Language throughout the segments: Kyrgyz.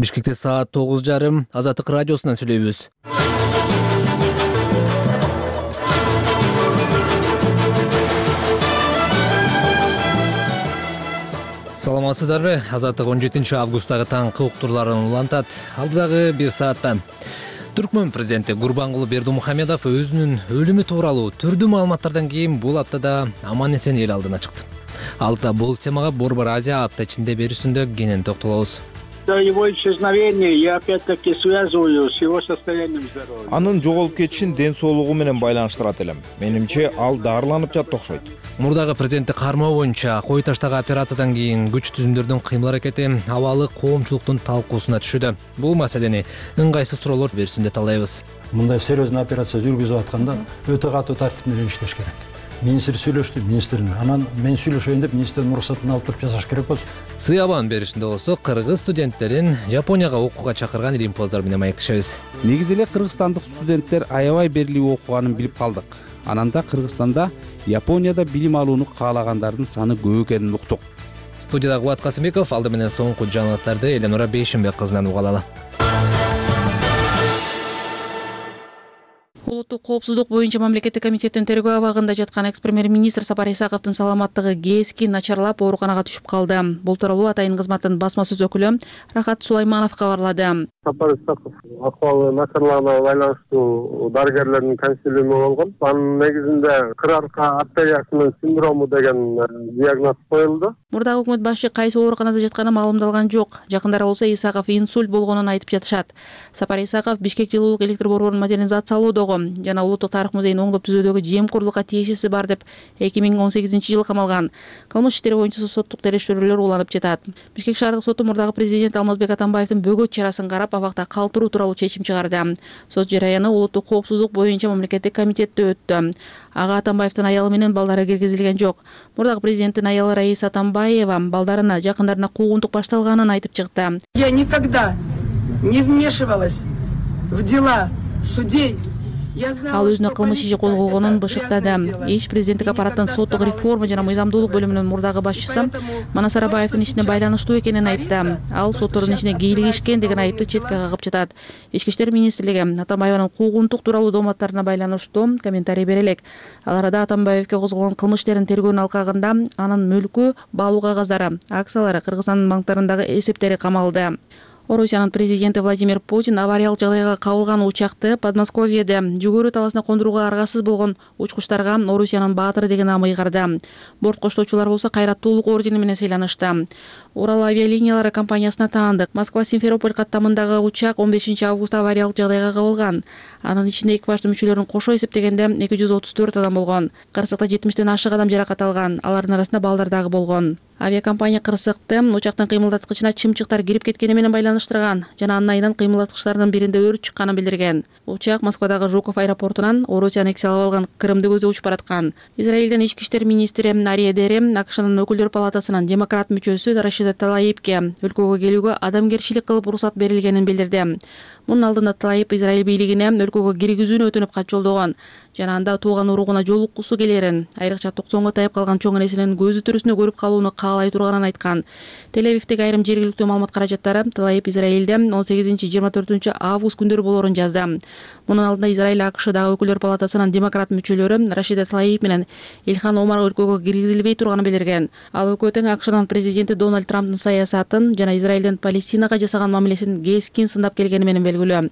Бишкекте саат 9:30 Азаттык радиосунан сүйлөйбүз. Саламатсыздарбы? Азаттык 17 августтагы таңкы уктурларын улантат. Алдыдагы бир саатта Түркмөн президенти Гурбангулы Бердимухамедов өзүнүн өлүмү тууралуу түрдүү маалыматтардан кийин бул аптада аман-эсен эл алдына чыкты. Алдыда бул темага Борбор Азия апта ичинде берүүсүндө кенен токтолобуз. Его исчезновение я опять-таки связываю с его состоянием здоровья. Анын жоголуп кетишин ден соолугу менен байланыштырат элем. Менимче ал дарыланып жатты окшойт. Мурдагы президентти кармоо боюнча Кой таштагы операциядан кийин күч түзүмдөрдүн кыймыл аракети абалы коомчулуктун талкуусуна түшүүдө. Бул маселени ыңгайсыз суроолор берүүсүндө талдайбыз. Мындай серьезный операция жүргүзүп атканда өтө катуу тартип менен иштеш керек. Министр сүйлөштү, министрдин. Анан мен сүйлөшөйүн деп министрдин уруксатын алып туруп жасаш керек болчу. Сыябан беришинде болсо кыргыз студенттерин Жапонияга окууга чакырган римпоздор менен маектешебиз. Негизи эле кыргызстандык студенттер аябай берилип окуганын билип калдык. Ананда Кыргызстанда, Японияда билим алууну каалагандардын саны көп экенин уктук. Студияда Кубат Касымбеков, алды менен соңку жаңылыктарды Эленора Бейшенбек кызынан уга алалы. Улуттук коопсуздук боюнча мамлекеттик комитеттин тергөө абагында жаткан экс-премьер-министр Сапар Исаковдун саламаттыгы кесkin начарлап ооруканага түшүп калды. Бул тууралуу Атайын кызматтын басма сөз өкүлү Рахат Сулайманов кабарлады. Сапар Исаков акыбалы начарлыгына байланыштуу дарыгерлердин консилиуму болгон. Анын негизинде кырарка артериясынын синдрому деген диагноз коюлду. Мурдагы өкмөт башчы кайсы ооруканада жатканы маалымдалган жок. Жакындары болсо Исаков инсульт болгонун айтып жатышат. Сапар Исаков Бишкек жылуулук электр борборун модернизациялоодогу жана Улуттук тарых музейин оңдоп түзүүдөгү жемкорлукка тиешеси бар деп 2018-жылы камалган. Кылмыш иштери боюнча соттук териштирүүлөр уланып жатат. Бишкек шаардык соту мурдагы президент Алмазбек Атамбаевдин бөгөт чарасын карап абакта калтыруу тууралуу чечим чыгарды. Сот жараяны улуттук коопсуздук боюнча мамлекеттик комитетте өттү. Ага Атамбаевдин аялы менен балдары киргизилген жок. Мурдагы президенттин аялы Раиса Атамбаева балдарына жакындарына куугунтук башталганын айтып чыкты. Я никогда не вмешивалась в дела судей. Ал өзүнө кылмыш иши козголгонун бышыктады. Иш президенттик аппараттын соттук реформа жана мыйзамдуулук бөлүмүнүн мурдагы башчысы Манас Арабаевдин ишине байланыштуу экенин айтты. Ал соттордун ишине кийлигишкен деген айыпты четке кагып жатат. Ички иштер министрлиги Атамбаеванын куугунтук тууралуу дооматтарына байланыштуу комментарий бере элек. Ал арада Атамбаевге козголгон кылмыш иштерин тергөөнүн алкагында анын мүлкү, баалуу кагаздары, акциялары, Кыргызстандын банктарындагы эсептери камалды. Орусиянын президенти Владимир Путин авариялык жагдайга кабылган учакты Подмосковьеде жүгөрү таласына кондурууга аргасыз болгон учкучтарга Орусиянын баатыры деген нам ыйгарды. Борт коштоочулар болсо кайраттуулук ордени менен сыйланышты. Урал авиалиниялары компаниясына таандык Москва-Симферополь каттамындагы учак 15 августта авариялык жагдайга кабылган. Анын ичинде экипаждын мүчөлөрүн кошо эсептегенде 234 адам болгон. Кырсыкта 70тен ашык адам жаракат алган. Алардын арасында балдар дагы болгон. Авиакомпания кырсыкты учактын кыймылдаткычына чымчыктар кирип кеткени менен байланыштырган жана анын айынан кыймылдаткычтардын биринде өрт чыкканын билдирген. Учак Москвадагы Жуков аэропортунан Орусияны эксе алып алган Крымды көздөп учуп бараткан. Израилдин ички иштер министри Ария Дери АКШнын өкүлдөр палатасынын демократ мүчөсү Рашида Талаипке өлкөгө келүүгө адамгерчилик кылып уруксат берилгенин билдирди. Мунун алдында Талаип Израиль бийлигине өлкөгө киргизүүнү өтүнүп кат жолдогон жана анда тууган уругуна жолуккусу келерин, айрыкча 90га тайып калган чоң энесинин көзү төрүсүнө көрүп калууну каалай турганын айткан. Тель-Авивдеги айрым жергиликтүү маалымат каражаттары Талаип Израилде 18-24 август күндөрү болорун жазды. Мунун алдында Израиль АКШдагы өкүлдөр палатасынын демократ мүчөлөрү Рашида Талаип менен Илхан Омар өлкөгө киргизилбей турганын билдирген. Ал өкмөттүн АКШнын президенти Дональд Трамптын саясатын жана Израилдин Палестинага жасаган мамилесин кесkin сындап келгени менен белгилүү.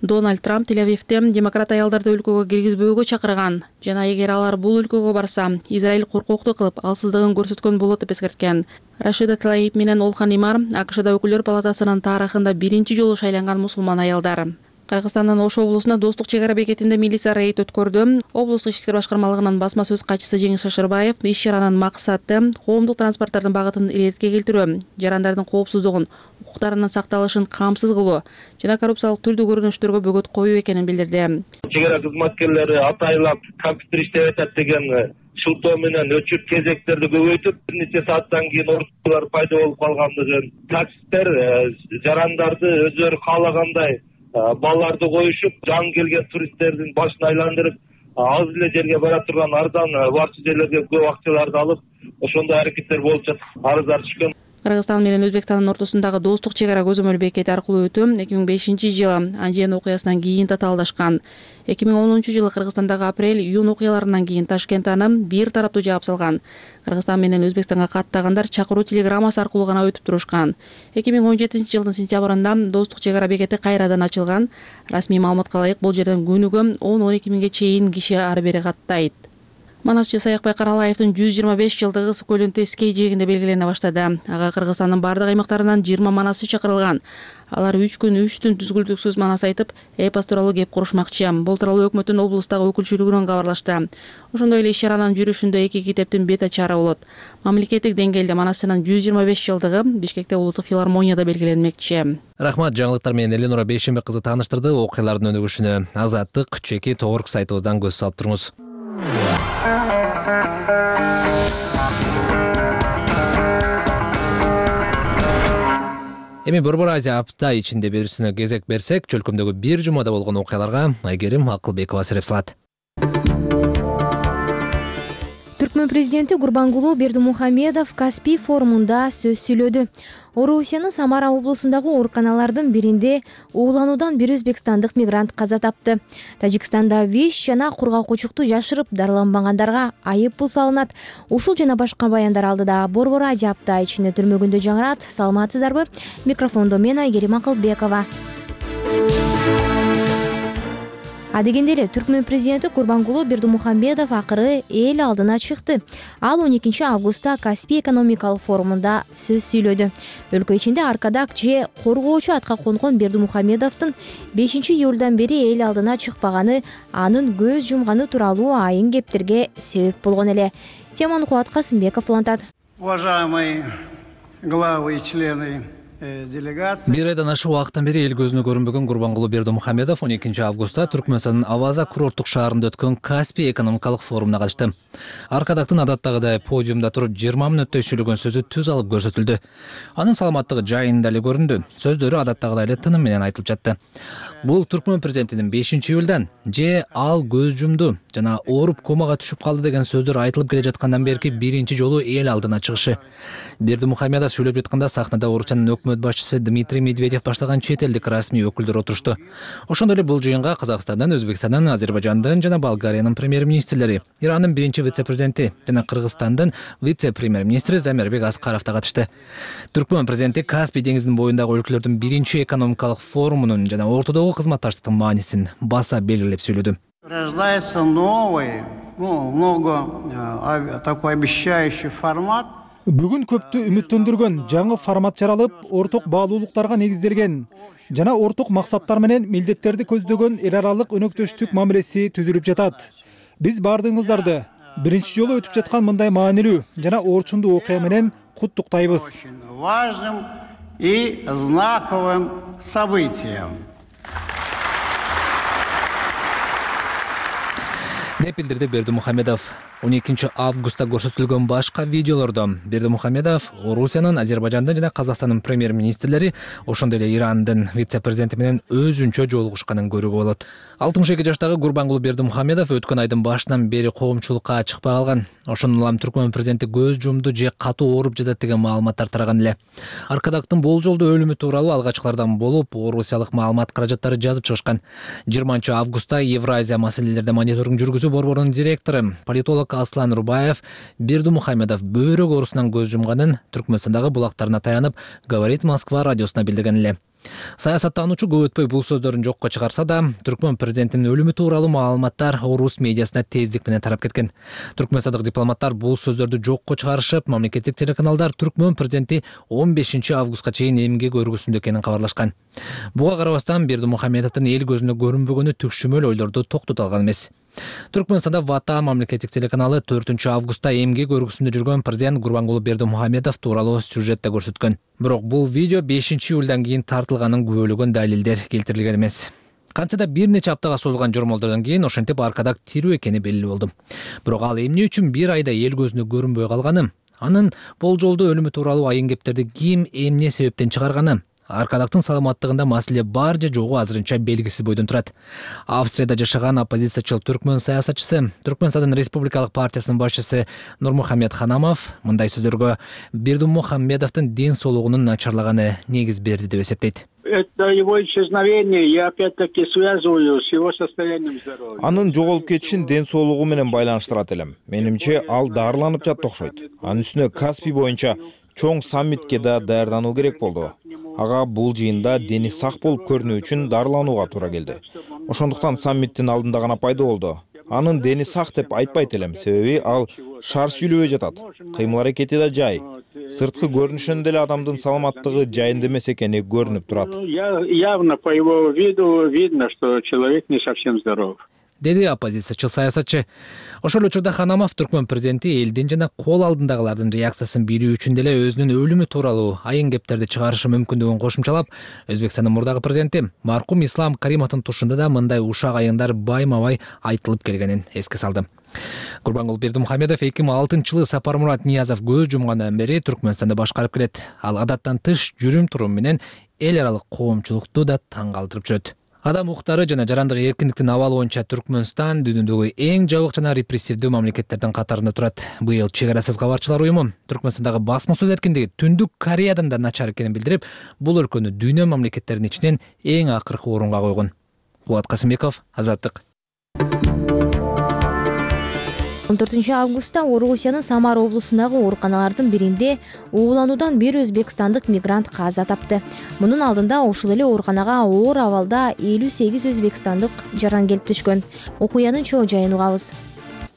Дональд Трамп Тель-Авивде демократ аялдарды өлкөгө киргизбөөгө чакырган жана эгер алар бул өлкөгө барса, Израиль коркоктуу кылып, алсыздыгын көрсөткөн болот деп эскерткен. Рашида Талаип менен Олхан Имар АКШда өкүлдөр палатасынын тарыхында биринчи жолу шайланган мусулман аялдар. Кыргызстандын Ош облусунда Достук чек ара бекетинде милиция рейд өткөрдү. Облустук ички иштер башкармалыгынын басма сөз катчысы Жеңиш Шашырбаев иш чаранын максаты коомдук транспорттардын багытын илертке келтирүү, жарандардын коопсуздугун, укуктарынын сакталышын камсыз кылуу жана коррупциялык түрдүү көрүнүштөргө бөгөт коюу экенин билдирди. Чек ара кызматкерлери атайлап компьютер иштеп атат деген шылтоо менен өчүп кезектерди көбөйтүп, бир нече сааттан кийин ордулар пайда болуп калгандыгын, таксисттер жарандарды өзүлөрү каалагандай балларды коюшуп, жаңы келген туристтердин башын айландырып, аз эле жерге бара турган арзан барчы жерлерге көп акчаларды алып, ошондой аракеттер болуп жатат. Арыздар түшкөн. Кыргызстан менен Өзбекстандын ортосундагы достук чек ара көзөмөл бекети аркылуу өтүү 2005-жылы Анжен окуясынан кийин татаалдашкан. 2010-жылы Кыргызстандагы апрель-июнь окуяларынан кийин Ташкент аны бир тараптуу жаап салган. Кыргызстан менен Өзбекстанга каттагандар чакыруу телеграммасы аркылуу гана өтүп турушкан. 2017-жылдын сентябрында достук чек ара бекети кайрадан ачылган. Расмий маалыматка ылайык бул жерден күнүгө 10-12 миңге чейин киши ары бери каттайт. Манасчы Саякбай Каралаевдин 125 жылдыгы Су көлүнүн Тескей жээгинде белгилене баштады. Ага Кыргызстандын бардык аймактарынан 20 манасчы чакырылган. Алар 3 күн 3 түн түзгүлтүксүз манас айтып, эпос тууралуу кеп курушмакчы. Бул тууралуу өкмөттүн облустагы өкүлчүлүгүнөн кабарлашты. Ошондой эле иш-чаранын жүрүшүндө 2 китептин бет ачары болот. Мамлекеттик деңгээлде манасчынын 125 жылдыгы Бишкекте улуттук филармонияда белгиленмекчи. Рахмат, жаңылыктар менен Эленора Бейшембек кызы тааныштырды. Окуялардын өнүгүшүнө Азаттык чеки Торг сайтыбыздан көз салып туруңуз. Эми Борбор Азия апта ичинде берүүсүнө кезек берсек, чөлкөмдөгү бир жумада болгон окуяларга Айгерим Акылбекова сереп салат. Түркмөн президенти Гурбангулуу Бердимухамедов Каспий форумунда сөз сүйлөдү. Орусиянын Самара облусундагы ооруканалардын биринде уулануудан бир өзбекстандык мигрант каза тапты. Тажикстанда ВИЧ жана кургакчылыкты жашырып дарыланбагандарга айып пул салынат. Ушул жана башка баяндар алдыда Борбор Азия апта ичинде түрмөгүндө жаңырат. Саламатсыздарбы? Микрофондо мен Айгерим Акылбекова. Адегенде эле Түркмөн президенти Гурбангулуу Бердимухамедов акыры эл алдына чыкты. Ал 12 августта Каспий экономикалык форумунда сөз сүйлөдү. Өлкө ичинде аркадак же коргоочу атка конгон Бердимухамедовдун 5-июлдан бери эл алдына чыкпаганы анын көз жумганы тууралуу айын кептерге себеп болгон эле. Теманы Кубат Касымбеков улантат. Уважаемые главы и члены делегация. Бир айдан ашык убакыттан бери эл көзүнө көрүнбөгөн Гурбангулуу Бердимухамедов 12 августта Түркмөнстандын Аваза курорттук шаарында өткөн Каспий экономикалык форумуна катышты. Аркадактын адаттагыдай подиумда туруп 20 мүнөттөй сүйлөгөн сөзү түз алып көрсөтүлдү. Анын саламаттыгы жайында эле көрүндү. Сөздөрү адаттагыдай эле тыным менен айтылып жатты. Бул Түркмөн президентинин 5-июлдан же ал көз жумду жана ооруп комага түшүп калды деген сөздөр айтылып келе жаткандан берки биринчи жолу эл алдына чыгышы. Бердимухамедов сүйлөп жатканда сахнада Орусиянын өкмөт башчысы Дмитрий Медведев баштаган чет элдик расмий өкүлдөр отурушту. Ошондой эле бул жыйынга Казакстандын, Өзбекстандын, Азербайжандын жана Болгариянын премьер-министрлери, Ирандын биринчи вице-президенти жана Кыргызстандын вице-премьер-министри Замирбек Аскаров да катышты. Түркмөн президенти Каспий деңизинин боюндагы өлкөлөрдүн биринчи экономикалык форумунун жана ортодогу кызматташтыктын маанисин баса белгилеп сүйлөдү. Рождается новый, такой обещающий формат. Бүгүн көптү үмүттөндүргөн жаңы формат жаралып, орток баалуулуктарга негизделген жана орток максаттар менен милдеттерди көздөгөн эл аралык өнөктөштүк мамилеси түзүлүп жатат. Биз баардыгыңыздарды биринчи жолу өтүп жаткан мындай маанилүү жана орчундуу окуя менен куттуктайбыз. Важным и знаковым событием. деп билдирди Бердимухамедов. 12 августта көрсөтүлгөн башка видеолордо Бердимухамедов Орусиянын, Азербайжандын жана Казакстандын премьер-министрлери, ошондой эле Ирандын вице-президенти менен өзүнчө жолугушканын көрүүгө болот. 62 жаштагы Гурбангулуу Бердимухамедов өткөн айдын башынан бери коомчулукка чыкпай калган. Ошондон улам Түркмөн президенти көз жумду же катуу ооруп жатат деген маалыматтар тараган эле. Аркадактын болжолдуу өлүмү тууралуу алгачкылардан болуп, орусиялык маалымат каражаттары жазып чыгышкан. 20 августта Евразия маселелерде мониторинг жүргүзүү борборунун директору, политолог Аслан Рубаев Бердимухамедов бөйрөк оорусунан көз жумганын Түркмөнстандагы булактарына таянып, Говорит Москва радиосуна билдирген эле. Саясаттануучу көп өтпөй бул сөздөрүн жокко чыгарса да, Түркмөн президентинин өлүмү тууралуу маалыматтар орус медиасына тездик менен тарап кеткен. Түркмөнстандык дипломаттар бул сөздөрдү жокко чыгарышып, мамлекеттик телеканалдар Түркмөн президенти 15 августка чейин эмгек өргүсүндө экенин кабарлашкан. Буга карабастан Бердимухамедовдун эл көзүнө көрүнбөгөнү түкшүмөл ойлорду токтото алган эмес. Түркмөнстанда Ватан мамлекеттик телеканалы 4 августта эмгек өргүсүндө жүргөн президент Гурбангулуу Бердимухамедов тууралуу сюжетте көрсөткөн. Бирок бул видео 5-июлдан кийин тартылганын күбөлөгөн далилдер келтирилген эмес. Кантсе да бир нече аптага созулган жормолдордон кийин ошентип аркадак тирүү экени белгилүү болду. Бирок ал эмне үчүн бир айда эл көзүнө көрүнбөй калганы, анын болжолдуу өлүмү тууралуу айын кептерди ким эмне себептен чыгарганы, аркадактын саламаттыгында маселе бар же жогу азырынча белгисиз бойдон турат. Австрияда жашаган оппозициячыл түркмөн саясатчысы, Түркмөнстандын Республикалык партиясынын башчысы Нурмухамед Ханамов мындай сөздөргө Бердимухамедовдун ден соолугунун начарлаганы негиз берди деп эсептейт. Это его исчезновение я опять-таки связываю с его состоянием здоровья. Анын жоголуп кетишин ден соолугу менен байланыштырат элем. Менимче ал дарыланып жатты окшойт. Анын үстүнө Каспий боюнча чоң саммитке да даярдануу керек болду. Ага бул жыйында дени сак болуп көрүнүү үчүн дарыланууга туура келди. Ошондуктан саммиттин алдында гана пайда болду. Анын дени сак деп айтпайт элем, себеби ал шар сүйлөбөй жатат. Кыймыл аракети да жай. Сырткы көрүнүшүнөн деле адамдын саламаттыгы жайында эмес экени көрүнүп турат. Явно по его виду видно, что человек не совсем здоров. Деди оппозициячыл саясатчы. Ошол эле учурда Ханамов түркмөн президенти элдин жана кол алдындагылардын реакциясын билүү үчүн деле өзүнүн өлүмү тууралуу айын кептерди чыгарышы мүмкүндүгүн кошумчалап, Өзбекстандын мурдагы президенти маркум Ислам Каримовдун тушунда да мындай ушак айыңдар байма-бай айтылып келгенин эске салды. Гурбангулы Бердимухамедов 2006-жылы Сапармурат Ниязов көз жумгандан бери Түркмөнстанды башкарып келет. Ал адаттан тыш жүрүм-турум менен эл аралык коомчулукту да таң калтырып жүрөт. Адам укуктары жана жарандык эркиндиктин абалы боюнча Түркмөнстан дүйнөдөгү эң жабык жана репрессивдүү мамлекеттердин катарында турат. Быйыл Чек-арасыз кабарчылар уюму Түркмөнстандагы басма сөз эркиндиги Түндүк Кореядан да начар экенин билдирип, бул өлкөнү дүйнө мамлекеттеринин ичинен эң акыркы орунга койгон. Булат Касымбеков, Азаттык. 14 августта Орусиянын Самара облусундагы ооруканалардын биринде уулануудан бир өзбекстандык мигрант каза тапты. Мунун алдында ушул эле ооруканага оор абалда 58 өзбекстандык жаран келип түшкөн. Окуянын чоо жайын угабыз.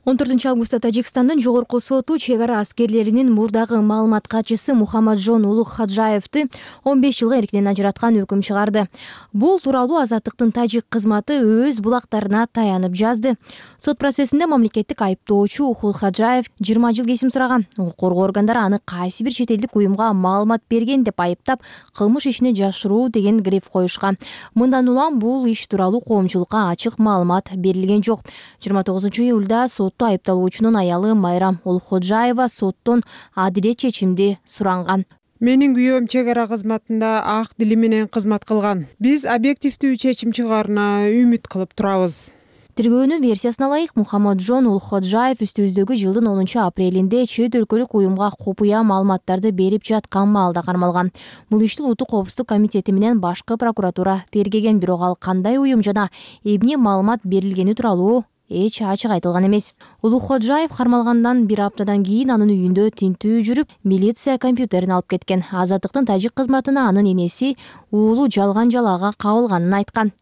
14 августта Тажикстандын жогорку соту чек ара аскерлеринин мурдагы маалымат катчысы Мухаммаджон Улукхаджаевди 15 жылга эркинен ажыраткан өкүм чыгарды. Бул тууралуу Азаттыктын тажик кызматы өз булактарына таянып жазды. Сот процессинде мамлекеттик айыптоочу Улукхаджаев 20 жыл кесим сураган. Укук коргоо органдары аны кайсы бир чет элдик уюмга маалымат берген деп айыптап, кылмыш ишине жашыруу деген гриф коюшкан. Мындан улам бул иш тууралуу коомчулукка ачык маалымат берилген жок. 29 июлда сотто айыпталуучунун аялы Майрам Улукхаджаева соттон адилет чечимди суранган. Менин күйөөм чек ара кызматында ак дили менен кызмат кылган. Биз объективдүү чечим чыгаарына үмүт кылып турабыз. Тергөөнүн версиясына ылайык Мухаммаджон Улукхаджаев үстүбүздөгү жылдын 10 апрелинде чет өлкөлүк уюмга купуя маалыматтарды берип жаткан маалда кармалган. Бул ишти Улуттук коопсуздук комитети менен башкы прокуратура тергеген, бирок ал кандай уюм жана эмне маалымат берилгени тууралуу эч ачык айтылган эмес. Улукхаджаев кармалгандан бир аптадан кийин анын үйүндө тинтүү жүрүп, милиция компьютерин алып кеткен. Азаттыктын тажик кызматына анын энеси уулу жалган жалаага кабылганын айткан.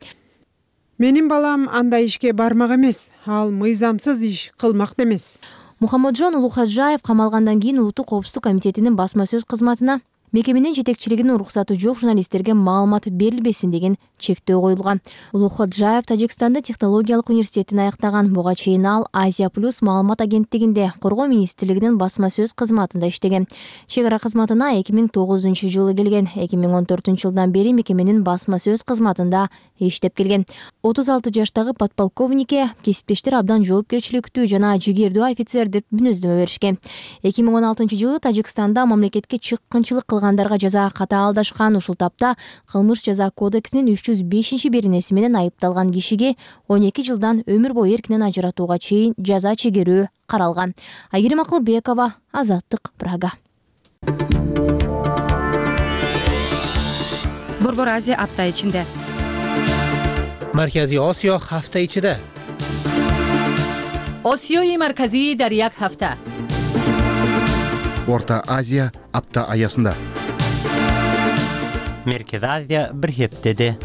Менин балам андай ишке бармак эмес, ал мыйзамсыз иш кылмак эмес. Мухаммаджон Улукхаджаев камалгандан кийин Улуттук коопсуздук комитетинин басма сөз кызматына мекеменин жетекчилигинин уруксаты жок журналисттерге маалымат берилбесин деген чектөө коюлган. Улукхаджаев Тажикстандын технологиялык университетин аяктаган. Буга чейин ал Азия Плюс маалымат агенттигинде коргоо министрлигинин басма сөз кызматында иштеген. Чек ара кызматына 2009 жылы келген. 2014 жылдан бери мекеменин басма сөз кызматында иштеп келген. 36 жаштагы подполковникке кесиптештер абдан жоопкерчиликтүү жана жигердүү офицер деп мүнөздөмө беришкен. 2016 жылы Тажикстанда мамлекетке чыккынчылык кылгандарга жаза катаалдашкан. Ушул тапта кылмыш жаза кодексинин 305 беренеси менен айыпталган кишиге 12 жылдан өмүр бою эркинен ажыратууга чейин жаза чегерүү каралган. Айгерим Акылбекова, Азаттык, Прага. Борбор Азия апта ичинде. Марказий Осиё ҳафта ичида. Осиёи марказӣ дар як ҳафта. Орта Азия апта аясында. Merkezi Азия bir heftede.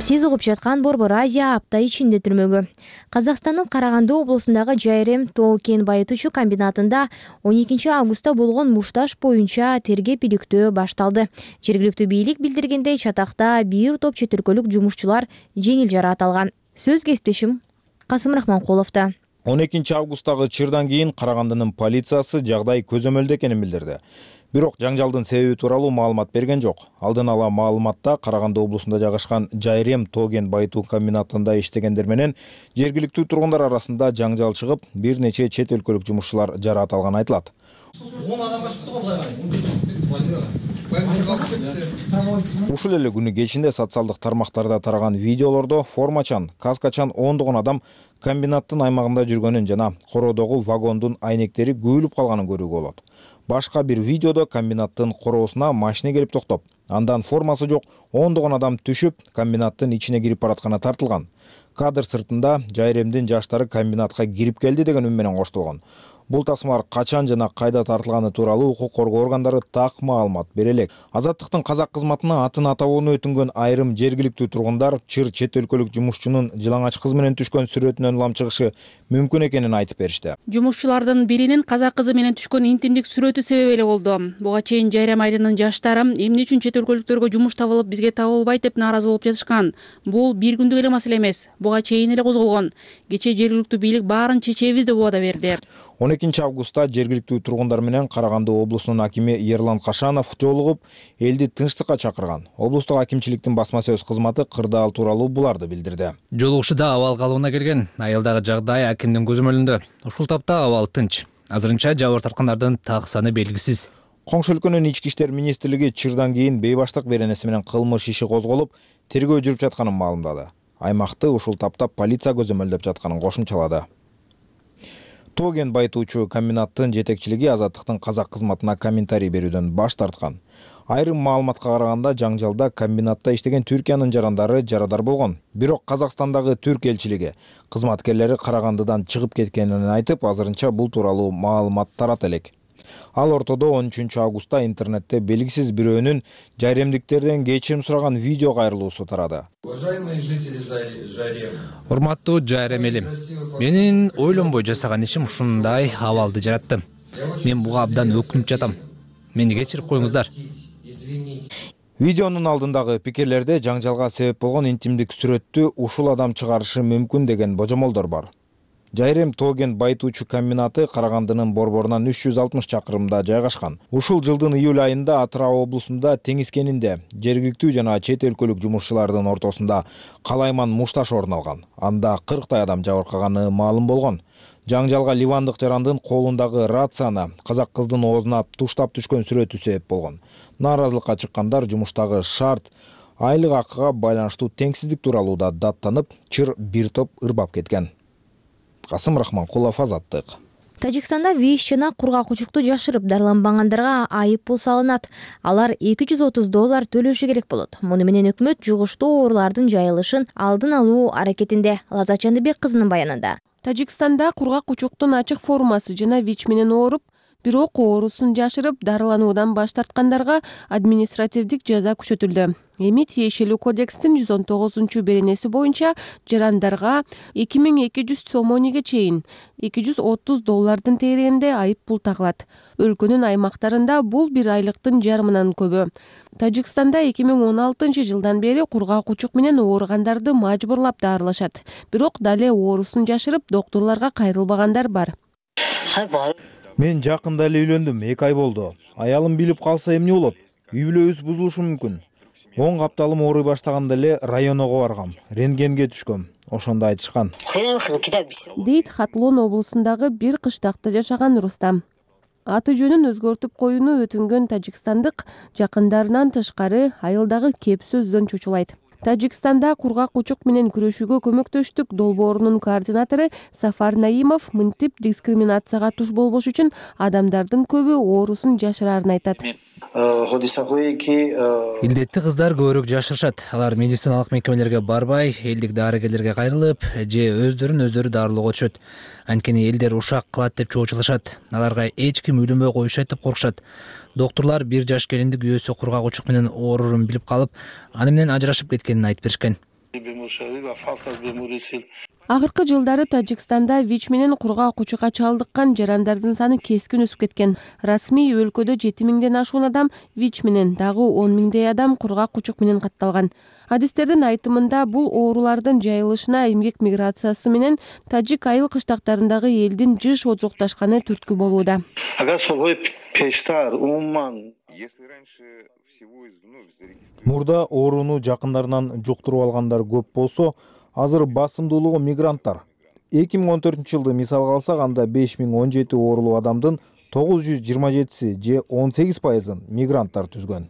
Сиз угуп жаткан Борбор Азия апта ичинде түрмөгү. Казакстандын Караганды облусундагы Жайрем тоо кен байытуучу комбинатында 12 августта болгон мушташ боюнча тергеп иликтөө башталды. Жергиликтүү бийлик билдиргендей, чатакта бир топ чет өлкөлүк жумушчулар жеңил жараат алган. Сөз кесиптешим Касым Рахманкуловдо. 12 августтагы чырдан кийин Карагандынын полициясы жагдай көзөмөлдө экенин билдирди. Бирок жаңжалдын себеби тууралуу маалымат берген жок. Алдын ала маалыматта Караганды облусунда жайгашкан Жайрем тоо кен байытуу комбинатында иштегендер менен жергиликтүү тургундар арасында жаңжал чыгып, бир нече чет өлкөлүк жумушчулар жараат алганы айтылат. Ушул эле күнү кечинде социалдык тармактарда тараган видеолордо формачан, каскачан ондогон адам комбинаттын аймагында жүргөнүн жана короодогу вагондун айнектери көбүлүп калганын көрүүгө болот. Башка бир видеодо комбинаттын короосуна машина келип токтоп, андан формасы жок ондогон адам түшүп, комбинаттын ичине кирип баратканы тартылган. Кадр сыртында Жайремдин жаштары комбинатка кирип келди деген үн менен коштолгон. Бул тасмалар качан жана кайда тартылганы тууралуу укук коргоо органдары так маалымат бере элек. Азаттыктын казак кызматына атын атабоону өтүнгөн айрым жергиликтүү тургундар чыр чет өлкөлүк жумушчунун жылаңач кыз менен түшкөн сүрөтүнөн улам чыгышы мүмкүн экенин айтып беришти. Жумушчулардын биринин казак кызы менен түшкөн интимдик сүрөтү себеп эле болду. Буга чейин Жайрем айылынын жаштары эмне үчүн чет өлкөлүктөргө жумуш табылып бизге табылбайт деп нааразы болуп жатышкан. Бул бир күндүк эле маселе эмес. Буга чейин эле козголгон. Кечээ жергиликтүү бийлик баарын чечебиз деп убада берди. 12 августта жергиликтүү тургундар менен Караганды облусунун акими Ерлан Кашанов жолугуп, элди тынчтыкка чакырган. Облустук акимчиликтин басма сөз кызматы кырдаал тууралуу буларды билдирди. Жолугушууда абал калыбына келген. Айылдагы жагдай акимдин көзөмөлүндө. Ушул тапта абал тынч. Азырынча жабыр тарткандардын так саны белгисиз. Коңшу өлкөнүн Ички иштер министрлиги чырдан кийин бейбаштык беренеси менен кылмыш иши козголуп, тергөө жүрүп жатканын маалымдады. Аймакты ушул тапта полиция көзөмөлдөп жатканын кошумчалады. Тоген байытуучу комбинаттын жетекчилиги Азаттыктын казак кызматына комментарий берүүдөн баш тарткан. Айрым маалыматка караганда жаңжалда комбинатта иштеген Түркиянын жарандары жарадар болгон. Бирок Казакстандагы түрк элчилиги кызматкерлери Карагандыдан чыгып кеткенин айтып, азырынча бул тууралуу маалымат тарата элек. Ал ортодо 13 августта интернетте белгисиз бирөөнүн жайремдиктерден кечирим сураган видео кайрылуусу тарады. Урматтуу Жайрем элим, менин ойлонбой жасаган ишим ушундай абалды жаратты. Мен буга абдан өкүнүп жатам. Мени кечирип коюңуздар. Видеонун алдындагы пикирлерде жаңжалга себеп болгон интимдик сүрөттү ушул адам чыгарышы мүмкүн деген божомолдор бар. Жайрем Тоген байытуучу комбинаты Карагандынын борборунан 360 чакырымда жайгашкан. Ушул жылдын июль айында Атырау облусунда теңиз кенинде жергиликтүү жана чет өлкөлүк жумушчулардын ортосунда калайман мушташ орун алган. Анда 40 адам жабыркаганы маалым болгон. Жаңжалга ливандык жарандын колундагы рацияны казак кыздын оозуна туштап түшкөн сүрөтү себеп болгон. Нааразылыкка чыккандар жумуштагы шарт, айлык акыга байланыштуу теңсиздик тууралуу да даттанып, чыр бир топ ырбап кеткен. Касым Рахманкулов, Азаттык. Тажикстанда виш жана кургак учукту жашырып дарыланбагандарга айып пул салынат. Алар $230 төлөшү керек болот. Муну менен өкмөт жугуштуу оорулардын жайылышын алдын алуу аракетинде. Лаззат Жандыбек кызынын баянында. Тажикстанда кургак учуктун ачык формасы жана ВИЧ менен ооруп, бирок оорусун жашырып дарылануудан баш тарткандарга административдик жаза күчөтүлдү. Эми тиешелүү кодекстин 119 боюнча жарандарга 2200 сомониге чейин $230 тегерегинде айып пул тагылат. Өлкөнүн аймактарында бул бир айлыктын жарымынан көбү. Тажикстанда 2016 жылдан бери кургак учук менен ооругандарды мажбурлап дарылашат. Бирок дале оорусун жашырып доктурларга кайрылбагандар бар. Мен жакында эле үйлөндүм, 2 ай болду. Аялым билип калса эмне болот? Үй бүлөбүз бузулушу мүмкүн. 10 капталым ооруй баштаганда эле районго баргам, рентгенге түшкөм. Ошондо айтышкан. Дейт Хатлон облусундагы бир кыштакта жашаган Рустам. Аты жөнүн өзгөртүп коюуну өтүнгөн тажикстандык жакындарынан тышкары айылдагы кеп сөздөн чочулайт. Тажикстанда кургак учук менен күрөшүүгө көмөктөштүк долбоорунун координатору Сафар Наимов мынтип дискриминацияга туш болбош үчүн адамдардын көбү оорусун жашырарын айтат. Илдетти кыздар көбүрөөк жашырышат. Алар медициналык мекемелерге барбай, элдик дарыгерлерге кайрылып, же өздөрү дарылоого түшөт. Анткени элдер ушак кылат деп чоочулашат. Аларга эч ким үйлөнбөй коюшат деп коркушат. Доктурлар бир жаш келинди күйөөсү кургак учук менен оорурун билип калып, аны менен ажырашып кеткенин айтып беришкен. Акыркы жылдары Тажикстанда ВИЧ менен кургак учукка чалдыккан жарандардын саны кескин өсүп кеткен. Расмий өлкөдө 7000ден ашуун адам ВИЧ менен, дагы 10.000 адам кургак учук менен катталган. Адистердин айтымында бул оорулардын жайылышына эмгек миграциясы менен тажик айыл кыштактарындагы элдин жыш отурукташканы түрткү болууда. Мурда ооруну жакындарынан жуктуруп алгандар көп болсо, азыр басымдуулугу мигранттар. 2014 жылды мисалга алсак, анда 5017 оорулуу адамдын 927 же 18% мигранттар түзгөн.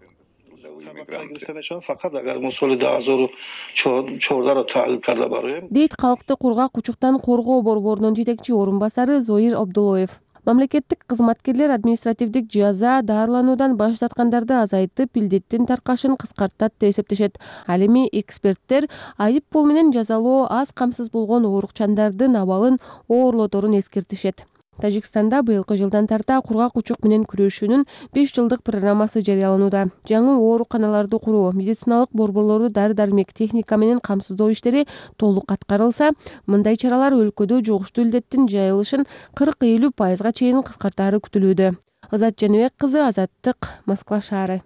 Дейт калкты кургак учуктан коргоо борборунун жетекчи орун басары Зоир Абдулоев. Мамлекеттик кызматкерлер административдик жаза даарылануудан баш тарткандарды азайтып, илдеттин таркашын кыскартат деп эсептешет. Ал эми эксперттер айып пул менен жазалоо аз камсыз болгон оорукчандардын абалын оорлоторун эскертишет. Тажикстанда быйылкы жылдан тарта кургак учук менен күрөшүүнүн 5 жылдык программасы жарыяланууда. Жаңы ооруканаларды куруу, медициналык борборлорду дары-дармек, техника менен камсыздоо иштери толук аткарылса, мындай чаралар өлкөдө жугуштуу илдеттин жайылышын 40-50% чейин кыскартаары күтүлүүдө. Азат Жаныбек кызы, Азаттык, Москва шаары.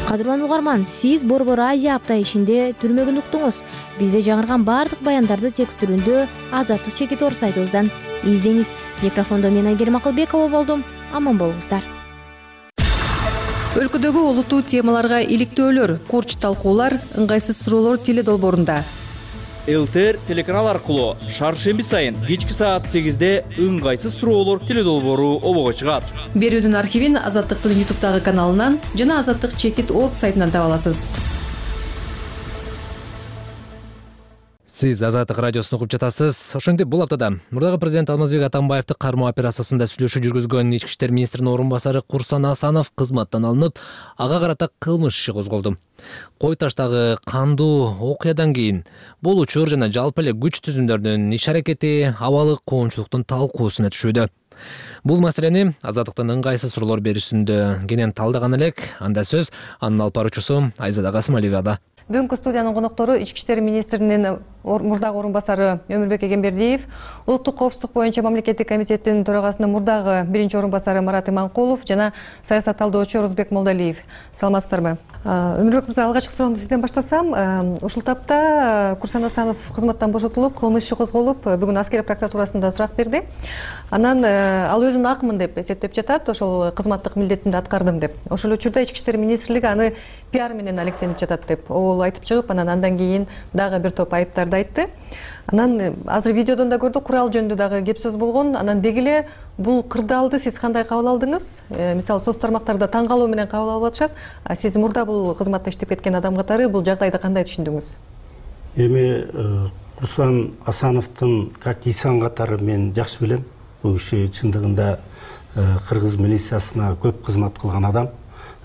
Кадырлан угарман, сиз Борбор Азия апта ишинде түрмөгүн уктуңуз. Бизде жаңырган баардык баяндарды текст түрүндө Азаттык Чекитор сайтыбыздан издеңиз. Микрофондо мен Айгерим Акылбекова болдум. Аман болуңуздар. Өлкөдөгү олуттуу темаларга иликтөөлөр, курч талкуулар, ыңгайсыз суроолор теле долбоорунда. ЛТР телеканал аркылуу шаршемби сайын кечки саат 8-де ыңгайсыз суроолор теле долбоору обого чыгат. Берүүнүн архивин Азаттыктын YouTube'дагы каналынан жана azattikchekit.org сайтынан таба аласыз. Сиз Азаттык радиосун угуп жатасыз. Ошондой бул аптада мурдагы президент Алмазбек Атамбаевди кармоо операциясында сүйлөшүү жүргүзгөн Ички иштер министринин орун басары Курсан Асанов кызматтан алынып, ага карата кылмыш иши козголду. Кой таштагы кандуу окуядан кийин бул учур жана жалпы эле күч түзүмдөрдүн иш-аракети абалы коомчулуктун талкуусуна түшүүдө. Бул маселени Азаттыктын ыңгайсыз суроолор берүүсүндө кенен талдаган элек. Анда сөз анын алып баруучусу Айзада Касымалиевада. Бүгүнкү студиянын коноктору Ички иштер министринин мурдагы орун басары Өмүрбек Эгембердиев, улуттук коопсуздук боюнча мамлекеттик комитеттин төрагасынын мурдагы биринчи орун басары Марат Иманкулов жана саясат талдоочу Орузбек Молдалиев. Саламатсыздарбы? Өмүрбек мырза, алгачкы суроомду сизден баштасам, ушул тапта Курсан Асанов кызматтан бошотулуп, кылмыш иши козголуп, бүгүн аскер прокуратурасында сурак берди. Анан ал өзүн акмын деп эсептеп жатат, ошол кызматтык милдетимди аткардым деп. Ошол учурда Ички иштер министрлиги аны пиар менен алектенип жатат деп айтып чыгып, андан кийин дагы бир топ айыптарды айтты. Анан азыр видеодон да көрдүк, курал жөнүндө дагы кеп сөз болгон. Анан деги эле бул кырдаалды сиз кандай кабыл алдыңыз? Мисалы, соц тармактарда таң калуу менен кабыл алып атышат. Сиз мурда бул кызматта иштеп кеткен адам катары бул жагдайды кандай түшүндүңүз? Эми Курсан Асановдун как инсан катары мен жакшы билем. Бул киши чындыгында кыргыз милициясына көп кызмат кылган адам.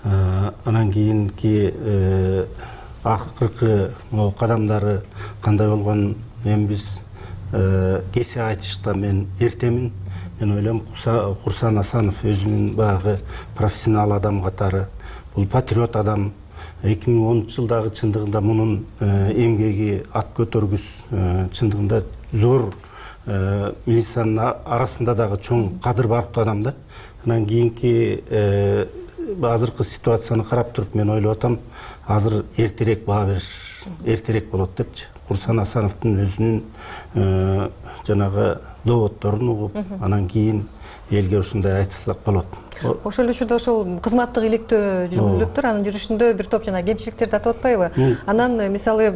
Анан кийинки акыркы кадамдары кандай болгон эми биз кесе айтышта мен эртемин. Мен ойлойм, Курсан Асанов өзүнүн баягы профессионал адам катары, бул патриот адам. 2010 жылдагы чындыгында мунун эмгеги ат көтөргүс чындыгында зор милициянын арасында дагы чоң кадыр барктуу адам да. Анан кийинки азыркы ситуацияны карап туруп мен ойлоп атам, азыр эртерээк баа бериш эртерээк болот депчи. Курсан Асановдун өзүнүн жанагы доводдорун угуп, анан кийин элге ушундай айтсак болот. Ошол учурда ошол кызматтык иликтөө жүргүзүлүптүр, анын жүрүшүндө бир топ жана кемчиликтер тартып атпайбы? Анан мисалы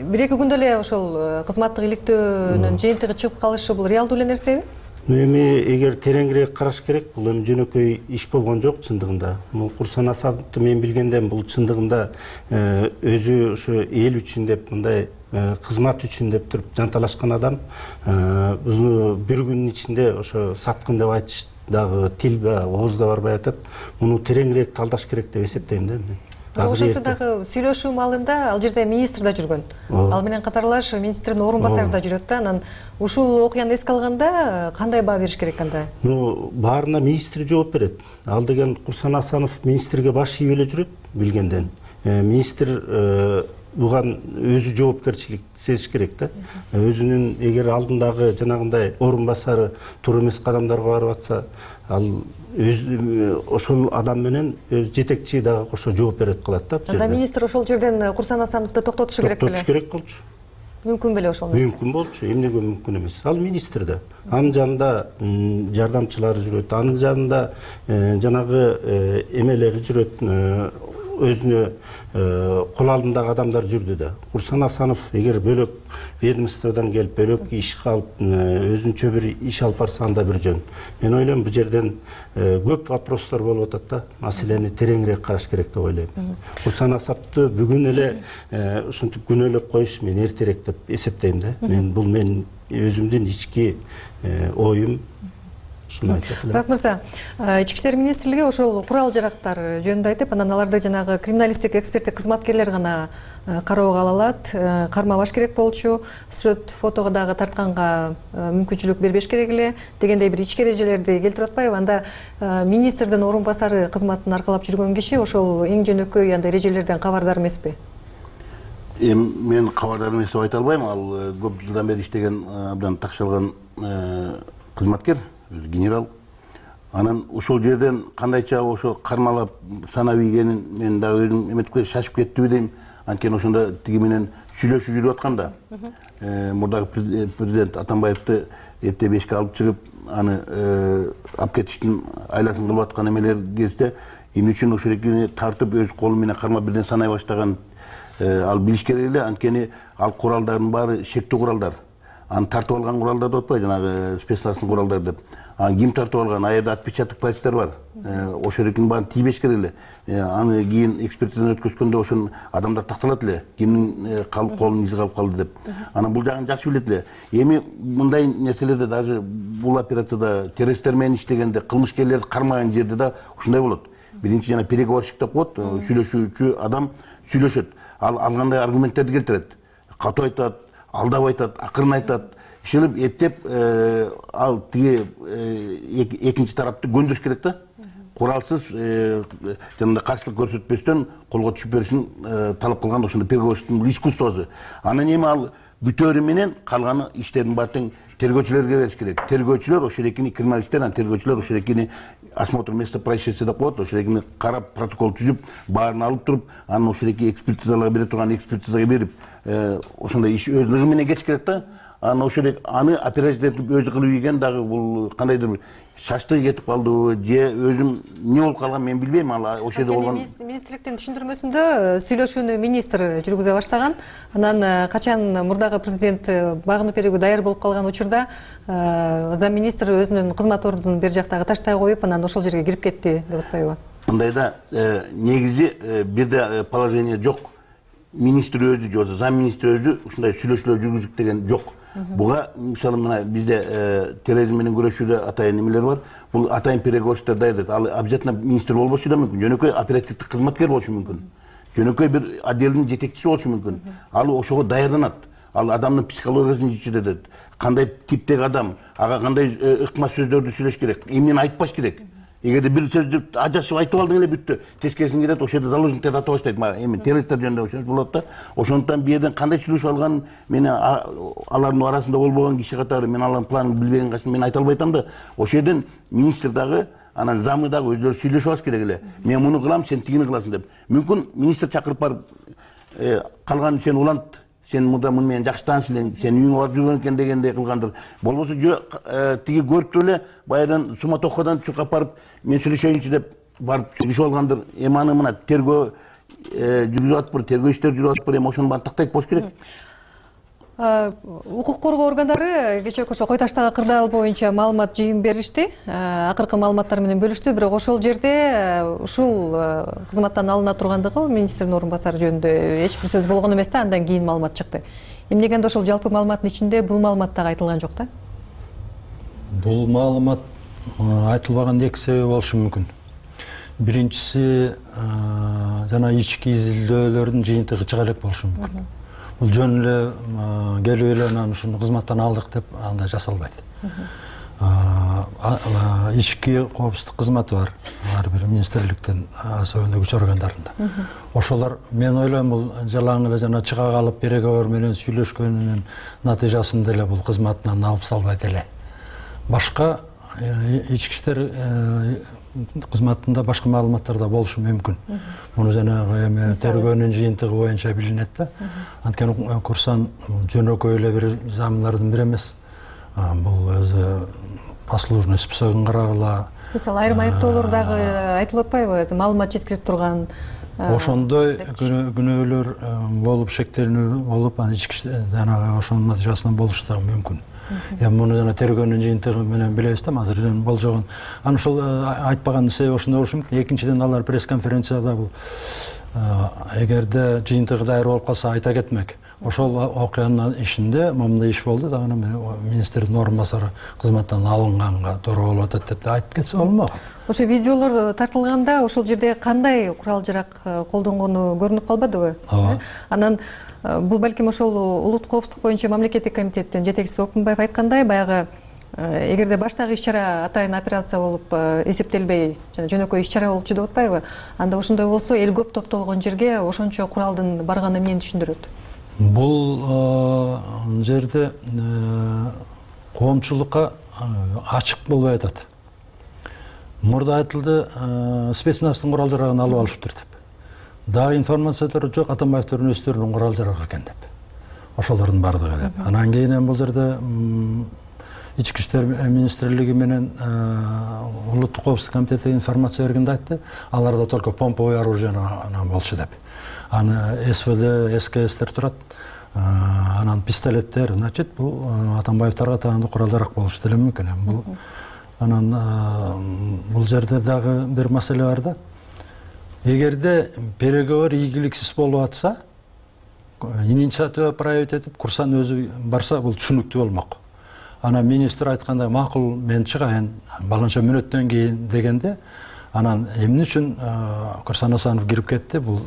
1-2 күндө эле ошол кызматтык иликтөөнүн жыйынтыгы чыгып калышы бул реалдуу эле нерсеби? Эми эгер тереңирээк караш керек, бул эми жөнөкөй иш болгон жок чындыгында. Курсан Асановду мен билгенден бул чындыгында өзү ошо эл үчүн деп, мындай кызмат үчүн деп туруп жанталашкан адам. Бир күнүн ичинде ошо саткын деп айтыш дагы тил ооз да барбай атат. Муну тереңирээк талдаш керек деп эсептейм да мен. Ошонсу дагы сүйлөшүү маалында ал жерде министр да жүргөн. Ал менен катарлаш министрдин орун басары да жүрөт да. Анан ушул окуяны эске алганда кандай баа бериш керек анда? Баарына министр жооп берет. Ал деген Курсан Асанов министрге баш ийип эле жүрөт билгенден. Министр буган өзү жоопкерчилик сезиш керек да. Өзүнүн эгер алдындагы жанагындай орун басары туура эмес кадамдарга барып атса, ал ошол адам менен жетекчи дагы кошо жооп берет кылат да. Анда министр ошол жерден Курсан Асановду токтотушу керек беле? Токтотуш керек болчу. Мүмкүн беле ошол нерсе? Мүмкүн болчу, эмнеге мүмкүн эмес? Ал министр да. Анын жанында жардамчылары жүрөт, анын жанында жанагы эмелери жүрөт, өзүнө кол алдындагы адамдар жүрдү да. Курсан Асанов эгер бөлөк ведомстводан келип, бөлөк иш калып, өзүнчө бир иш алып барса анда бир жөн. Мен ойлойм, бул жерден көп вопростор болуп атат да. Маселени тереңирээк караш керек деп ойлойм. Курсан Асапты бүгүн эле ушинтип күнөөлөп коюш мен эртерээк деп эсептейм да. Бул мен өзүмдүн ички оюм. Мурат мырза, Ички иштер министрлиги ошол курал жарактар жөнүндө айтып, анан аларды жанагы криминалисттик эксперттик кызматкерлер гана кароого ала алат, кармабаш керек болчу, сүрөт фотого дагы тартканга мүмкүнчүлүк бербеш керек эле дегендей бир ички эрежелерди келтирип атпайбы? Анда министрдин орун басары кызматын аркалап жүргөн киши ошол эң жөнөкөй андай эрежелерден кабардар эмеспи? Мен кабардар эмес деп айта албайм. Ал көп жылдан бери иштеген, абдан такшалган кызматкер, генерал. Анан ошол жерден кандайча ошо кармалап санап ийгенин мен дагы өзүм эметип шашып кеттиби дейм. Анткени ошондо тиги менен сүйлөшүп жүрүп атканда мурдагы президент Атамбаевди эрте 5-ке алып чыгып, аны алып кетиштин айласын кылып аткан эмелер кезде эмне үчүн ошол экени тартып өз колу менен кармап бирден санай баштаган ал билиш керек эле. Анткени ал куралдардын баары шектүү куралдар. Аны тартып алган куралдар деп атпайбы, жанагы спецназный куралдар деп. Аны ким тартып алган? А жерде отпечаток пальцтер бар. Ошол экенин баарын тийбеш керек эле. Аны кийин экспертизадан өткөзгөндө ошон адамдар такталат эле. Кимдин колунун изи калып калды деп. Анан бул жагын жакшы билет эле. Эми мындай нерселерде даже бул операцияда террористтер менен иштегенде, кылмышкерлерди кармаган жерде да ушундай болот. Биринчи жана переговорщик деп коет, сүйлөшүүчү адам сүйлөшөт. Ал кандай аргументтерди келтирет? Катуу айтат, алдап айтат, акырын айтат. Ишелеп эптеп ал тиги экинчи тарапты көндүрүш керек да. Куралсыз жана каршылык көрсөтпөстөн колго түшүп беришин талап кылган ошондой переговорщиктин искусствосу. Анан эми ал бүтөөрү менен калганы иштердин баары тең тергөөчүлөргө бериш керек. Тергөөчүлөр ошол экени криминалисттер, анан тергөөчүлөр ошол экени осмотр места происшествия деп коет, ошол экени карап, протокол түзүп, баарын алып туруп, анан ошол эки экспертизаларга бере турган экспертизага берип, ошондой иш өз ылыгы менен кетиш керек да. Анан ошол аны операция өзү кылып ийген дагы бул кандайдыр шаштыгы кетип калдыбы, же өзүм эмне болуп калган мен билбейм. Ал ошол жерде болгон министрликтин түшүндүрмөсүндө сүйлөшүүнү министр жүргүзө баштаган. Анан качан мурдагы президент багынып берүүгө даяр болуп калган учурда зам министр өзүнүн кызмат ордунун бер жактагы таштай коюп, анан ошол жерге кирип кетти деп атпайбы? Мындайда негизи бирде положение жок. Министр өзү же зам министр өзү ушундай сүйлөшүүлөр жүргүзүп деген жок. Буга мисалы мына бизде терроризм менен күрөшүүдө атайын эмелер бар. Бул атайын переговорщиктер даярдайт. Ал обязательно министр болбошу да мүмкүн. Жөнөкөй оперативдик кызматкер болушу мүмкүн. Жөнөкөй бир отделдин жетекчиси болушу мүмкүн. Ал ошого даярданат. Ал адамдын психологиясын жетет. Кандай типтеги адам, ага кандай ыкма сөздөрдү сүйлөш керек, эмнени айтпаш керек. Эгерде бир сөздү ажашып айтып алдың эле бүттү. Тескерисин кетет, ошол жерде заложниктер ата баштайт. Эми террористтер жөнүндө ошол болот да. Ошондуктан бу жерден кандай сүйлөшүп алган, мен алардын арасында болбогон киши катары, мен алардын планын билбеген качан мен айта албайтам да. Ошол жерден министр дагы, анан замы дагы өздөрү сүйлөшүп алыш керек эле. Мен муну кылам, сен тигини кыласың деп. Мүмкүн министр чакырып барып, калган сен улант, сен мында муну менен жакшы тааныш элең, сен үйүңө барып жүргөн экен дегендей кылгандыр. Болбосо тиги көрүп туруп эле баягыдан суматохадан чуркап барып, мен сүйлөшөйүнчү деп барып сүйлөшүп алгандыр. Эми аны мына тергөө жүргүзүп атыптыр, тергөө иштери жүрүп атыптыр, эми ошонун баарын тактайт болуш керек. Укук коргоо органдары кечээки ошо Кой Таштагы кырдаал боюнча маалымат жыйын беришти, акыркы маалыматтар менен бөлүштү. Бирок ошол жерде ушул кызматтан алына тургандыгы министрдин орун басары жөнүндө эч бир сөз болгон эмес да, андан кийин маалымат чыкты. Эмнегенде ошол жалпы маалыматтын ичинде бул маалымат дагы айтылган жок да? Бул маалымат айтылбаган эки себеби болушу мүмкүн. Биринчиси жана ички изилдөөлөрдүн жыйынтыгы чыга элек болушу мүмкүн. Бул жөн эле келип эле анан ушуну кызматтан алдык деп андай жасалбайт. Ички коопсуздук кызматы бар, ар бир министрликтин особенно күч органдарында. Ошолор мен ойлойм бул жалаң эле жана чыга калып переговор менен сүйлөшкөнүнүн натыйжасында эле бул кызматынан алып салбайт эле. Башка ички иштер кызматында башка маалыматтар да болушу мүмкүн. Муну жанагы эми тергөөнүн жыйынтыгы боюнча билинет да. Анткени Курсан жөнөкөй эле бир замлардын бири эмес. Бул өзү послужный списогун карагыла, Мисалы айрым айыптоолор дагы айтылып атпайбы, маалымат жеткирип турган ошондой күнөөлөр болуп, шектелүү болуп, анан ички жанагы ошонун натыйжасынан болушу дагы мүмкүн. Эми муну жана тергөөнүн жыйынтыгы менен билебиз да, азыр болжогон. Анан ошол айтпаган себеби ошондой болушу мүмкүн. Экинчиден алар пресс-конференцияда бул эгерде жыйынтыгы даяр болуп калса айта кетмек. Ошол окуянын ишинде момундай иш болду дагы министрдин орун басары кызматтан алынганга туура болуп атат деп айтып кетсе болмок. Ошо видеолор тартылганда ошол жерде кандай курал жарак колдонгону көрүнүп калбадыбы? Анан бул балким ошол улуттук коопсуздук боюнча мамлекеттик комитеттин жетекчиси Окунбаев айткандай, баягы эгерде баштагы иш-чара атайын операция болуп эсептелбей, жана жөнөкөй иш-чара болчу деп атпайбы? Анда ошондой болсо эл көп топтолгон жерге ошончо куралдын барганы эмнени түшүндүрөт? Бул жерде коомчулукка ачык болбой атат. Мурда айтылды, спецназтын курал жарагын алып алышыптыр деп. Дагы информациялар жок, Атамбаевдин өздөрүнүн курал жарагы экен деп. Ошолордун бардыгы деп. Анан кийин бул жерде Ички иштер министрлиги менен улуттук коопсуздук комитети информация бергенде айтты, аларда только помповое оружие болчу деп. Аны СВД, СКСтер турат, анан пистолеттер, значит, бул Атамбаевдарга таандуу курал жарак болушу деле мүмкүн. Анан бул жерде дагы бир маселе бар да. Эгерде переговор ийгиликсиз болуп атса, инициатива проявить этип, курсан өзү барса, бул түшүнүктүү болмок. Анан министр айткандай, макул мен чыгайын, баланча мүнөттөн кийин дегенде, анан эмне үчүн Курсан Асанов кирип кетти, бул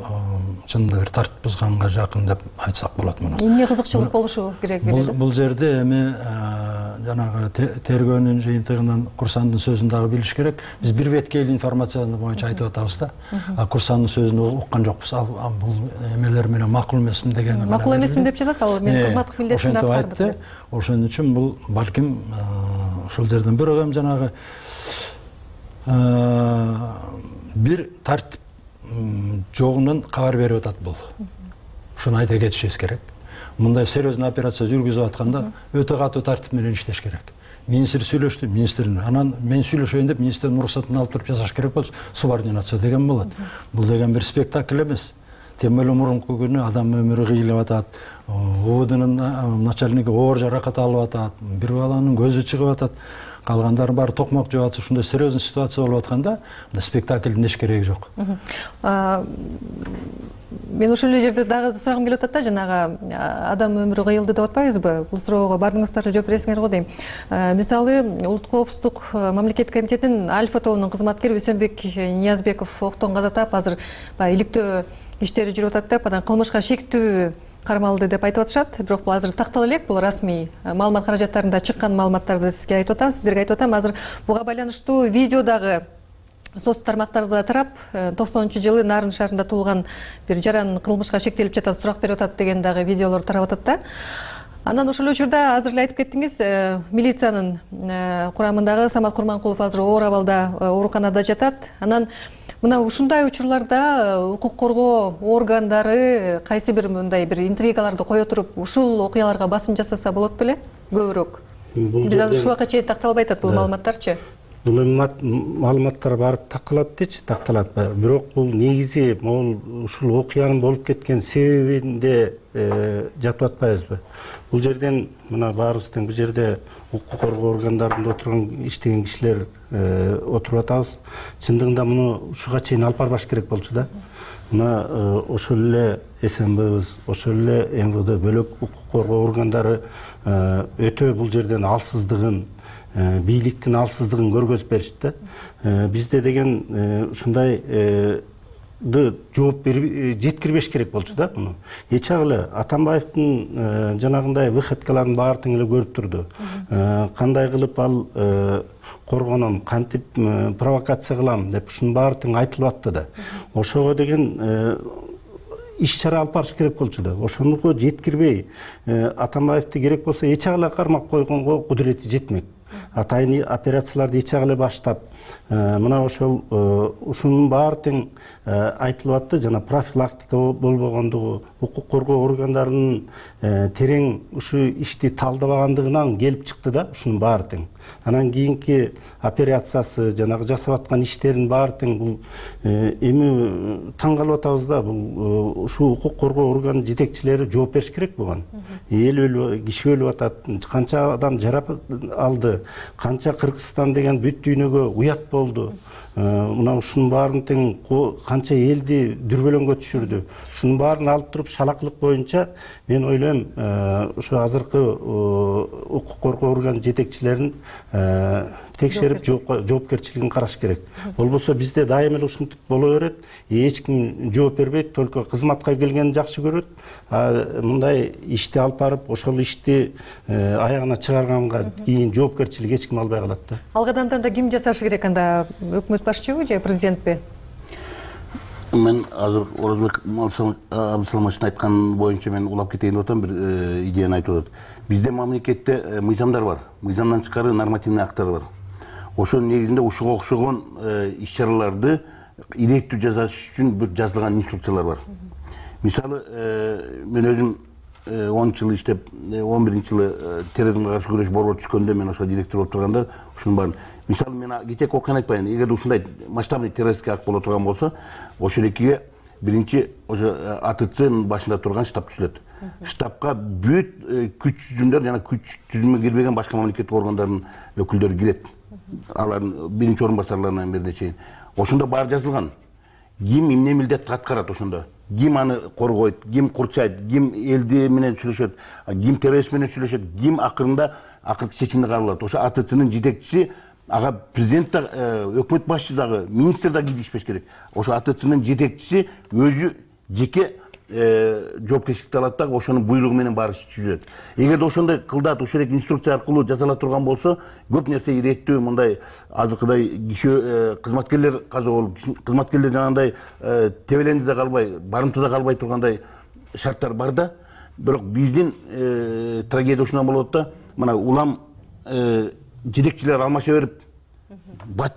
чынында бир тартип бузганга жакын деп айтсак болот муну. Эмне кызыкчылык болушу керек беле? Бул жерде эми жанагы тергөөнүн жыйынтыгынан Курсандын сөзүн дагы билиш керек. Биз бир беткейлүү информацияны боюнча айтып атабыз да. Курсандын сөзүн уккан жокпуз. Ал бул эмелер менен макул эмесмин деген. Макул эмесмин деп жатат ал, мен кызматтык милдетимди аткардым. Ошон үчүн бул балким ошол жерден бирок эми жанагы бир тартип жогунан кабар берип атат бул. Ушуну айта кетишибиз керек. Мындай серьезный операция жүргүзүп атканда өтө катуу тартип менен иштеш керек. Министр сүйлөштү, министрдин. Анан мен сүйлөшөйүн деп министрдин уруксатын алып туруп жасаш керек болчу. Субординация деген болот. Бул деген бир спектакль эмес. Тем более мурунку күнү адам өмүрү кыйылып атат. ООДнун начальниги оор жаракат алып атат. Бир баланын көзү чыгып атат. Калгандардын баары токмок жеп атып, ушундай серьезный ситуация болуп атканда, спектаклдин эч кереги жок. Мен ошол эле жерде дагы сурагым келип атат да, жанагы адам өмүрү кыйылды деп атпайбызбы? Бул суроого баардыгыңыздар жооп бересиңер го дейм. Мисалы, Улуттук коопсуздук мамлекеттик комитетинин Альфа тобунун кызматкери Үсөнбек Ниязбеков октон каза таап, азыр иликтөө иштери жүрүп атат деп, анан кылмышка шектүү кармалды деп айтып атышат. Бирок бул азыр тактала элек, бул расмий маалымат каражаттарында чыккан маалыматтарды сизге айтып атам, сиздерге айтып атам. Азыр буга байланыштуу видео дагы соц тармактарда тарап, 90-жылы Нарын шаарында туулган бир жаран кылмышка шектелип жатат, сурак берип атат деген дагы видеолор тарап атат да. Анан ошол учурда азыр эле айтып кеттиңиз, милициянын курамындагы Самат Курманкулов азыр оор абалда ооруканада жатат. Анан мына ушундай учурларда укук коргоо органдары кайсы бир мындай бир интригаларды кое туруп, ушул окуяларга басым жасаса болот беле? Көбүрөөк. Биз азыр ушул убакка чейин такталбай атат бул маалыматтарчы. Бул маалыматтар барып такталат дечи, такталат. Бирок бул негизи ушул окуянын болуп кеткен себебинде жатып атпайбызбы? Бул жерден мына баарыбыз тең бул жерде укук коргоо органдарында отурган иштеген кишилер отуруп атабыз. Чындыгында муну ушуга чейин алып барбаш керек болчу да. Мына ошол эле СМБбыз, ошол эле МВД бөлөк укук коргоо органдары өтө бул жерден алсыздыгын, бийликтин алсыздыгын көргөзүп беришти да. Бизде деген ушундай жооп жеткирбеш керек болчу да муну. Эчагы Атамбаевдин жанагындай выходкаларын баары тең эле көрүп турду. Кандай кылып ал коргоном, кантип провокация кылам деп ушунун баары тең айтылып атты да. Ошого деген иш-чара алып барыш керек болчу да. Ошонуго жеткирбей, Атамбаевди керек болсо эчагы кармап койгонго кудурети жетмек. Атайын операцияларды эчагы баштап, мына ошол ушунун баары тең айтылып атты, жана профилактика болбогондугу, укук коргоо органдарынын терең ушу ишти талдабагандыгынан келип чыкты да, ушунун баары тең. анан кийинки операциясы жанагы жасап аткан иштерин баары тең бул эми таң калып атабыз да. Бул ушул укук коргоо орган жетекчилери жооп бериш керек буга. Эл киши өлүп атат, канча адам жаракат алды, канча Кыргызстан деген бүт дүйнөгө уят болду. Мына ушунун баарын тең канча элди дүрбөлөңгө түшүрдү. Ушунун баарын алып туруп шалакылык боюнча мен ойлойм ушу азыркы укук коргоо орган жетекчилерин текшерип жоопкерчилигин караш керек. Болбосо бизде дайыма эле ушинтип боло берет. Эч ким жооп бербейт, только кызматка келгенин жакшы көрөт. Мындай ишти алып барып, ошол ишти аягына чыгарганга кийин жоопкерчилик эч ким албай калат да. Ал кадамды анда ким жасашы керек, анда өкмөт башчыбы же президентпи? Мен азыр Оразбек Абдысаламовичтин айткан боюнча мен улап кетейин деп атам, бир идеяны айтып атат. Бизде мамлекетте мыйзамдар бар, мыйзамдан тышкары нормативный акттар бар. Ошонун негизинде ушуга окшогон иш-чараларды иликтүү жасаш үчүн бир жазылган инструкциялар бар. Мисалы, мен өзүм 10 жыл иштеп, 11-жылы терроризмге каршы күрөш борбору түшкөндө мен ошо директор болуп турганда ушунун баарын. Мисалы, мен кечээки окуяны айтпайын. Эгер ушундай масштабный террористтик акт боло турган болсо, ошол экиге биринчи ошо АТЦнын башында турган штаб түзүлөт. Штабка бүт күч түзүмдөр жана күч түзүмүнө кирбеген башка мамлекеттик органдардын өкүлдөрү кирет. Алардын биринчи орун басарларынан берде чейин. Ошондо баары жазылган. Ким эмне милдет аткарат ошондо? Ким аны коргойт, ким курчайт, ким элди менен сүйлөшөт, ким террорист менен сүйлөшөт, ким акырында акыркы чечимди кабыл алат. Ошо АТЦнын жетекчиси, ага президент да, өкмөт башчысы дагы, министр да киришпеш керек. Ошо АТЦнын жетекчиси өзү жеке жоопкерчиликти алат да, ошонун буйругу менен баары жүзөт. Эгерде ошондой кылдат, ошол эле инструкция аркылуу жасала турган болсо, көп нерсе иреттүү, мындай азыркыдай киши кызматкерлер каза болуп, кызматкерлер жанагындай тебеленди да калбай, барымтада калбай тургандай шарттар бар да. Бирок биздин трагедия ушундан болот да, мына улам жетекчилер алмаша берип,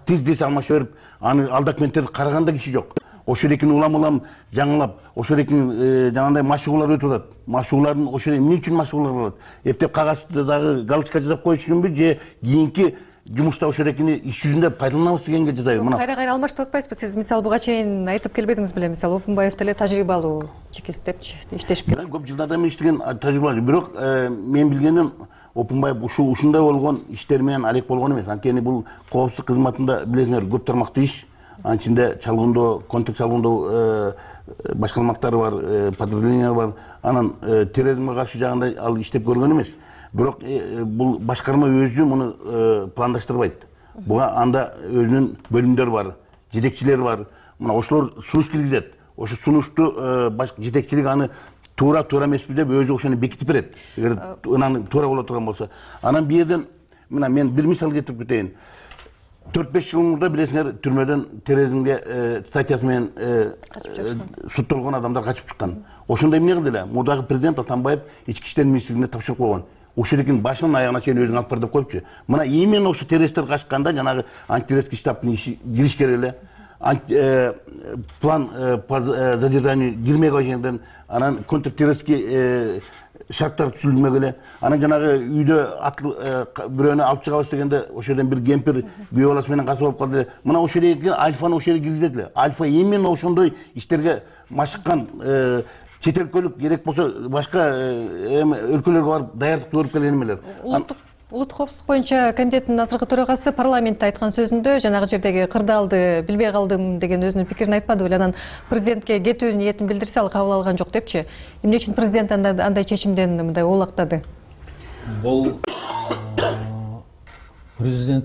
тез алмаша берип, аны ал документтерди караганда киши жок. Ошол экин улам жаңылап, ошол экин жанагындай машыгуулар өтүп атат. Машыгуулардын ошол эмне үчүн машыгуулар болот? Эптеп кагазды дагы галочка жасап коюш үчүнбү же кийинки жумушта ошол экини иш жүзүндө пайдаланабыз дегенге жасайбы? Мына кайра алмаштырып атпайсызбы? Сиз мисалы буга чейин айтып келбедиңиз беле? Мисалы Опунбаев деле тажрыйбалуу чекист депчи иштешип келет. Көп жылдардан бери иштеген тажрыйбалуу. Бирок мен билгеним Опунбаев ушундай болгон иштер менен алек болгон эмес. Анткени бул коопсуздук кызматында билесиңер көп тармактуу иш. Анын ичинде чалгындоо, контр чалгындоо башкармалыктары бар, подразделениялар бар. Анан терроризмге каршы жагында ал иштеп көргөн эмес. Бирок бул башкарма өзү муну пландаштырбайт. Буга анда өзүнүн бөлүмдөрү бар, жетекчилери бар. Мына ошолор сунуш киргизет. Ошо сунушту жетекчилик аны туура эмеспи деп өзү ошону бекитип берет. Эгер ынаны туура боло турган болсо. Анан бу жерден мына мен бир мисал келтирип кетейин. 4-5 жыл мурда билесиңер түрмөдөн терроризмге статьясы менен соттолгон адамдар качып чыккан. Ошондо эмне кылды эле? Мурдагы президент Атамбаев ички иштер министрлигине тапшырып койгон. Ошол экин башынан аягына чейин өзүң алып бар деп коюпчу. Мына именно ошо террористтер качканда жанагы антитеррористтик штабтын иши кириш керек эле. План по задержанию кирмеген жерден анан контртеррористский шарттар түзүлмөк эле. Анан жанагы үйдө бирөөнү алып чыгабыз дегенде ошодон бир кемпир күйөө баласы менен качып алып калды. Мына ошол жерге Альфаны ошол жерге киргизет эле. Альфа именно ошондой иштерге машыккан чет өлкөлүк керек болсо башка өлкөлөргө барып даярдык көрүп келген эмелер. Улуттук коопсуздук боюнча комитеттин азыркы төрагасы парламентте айткан сөзүндө жанагы жердеги кырдаалды билбей калдым деген өзүнүн пикирин айтпадыбы? Анан президентке кетүү ниетин билдирсе ал кабыл алган жок депчи. Эмне үчүн президент андай чечимден мындай оолактады? Бул президент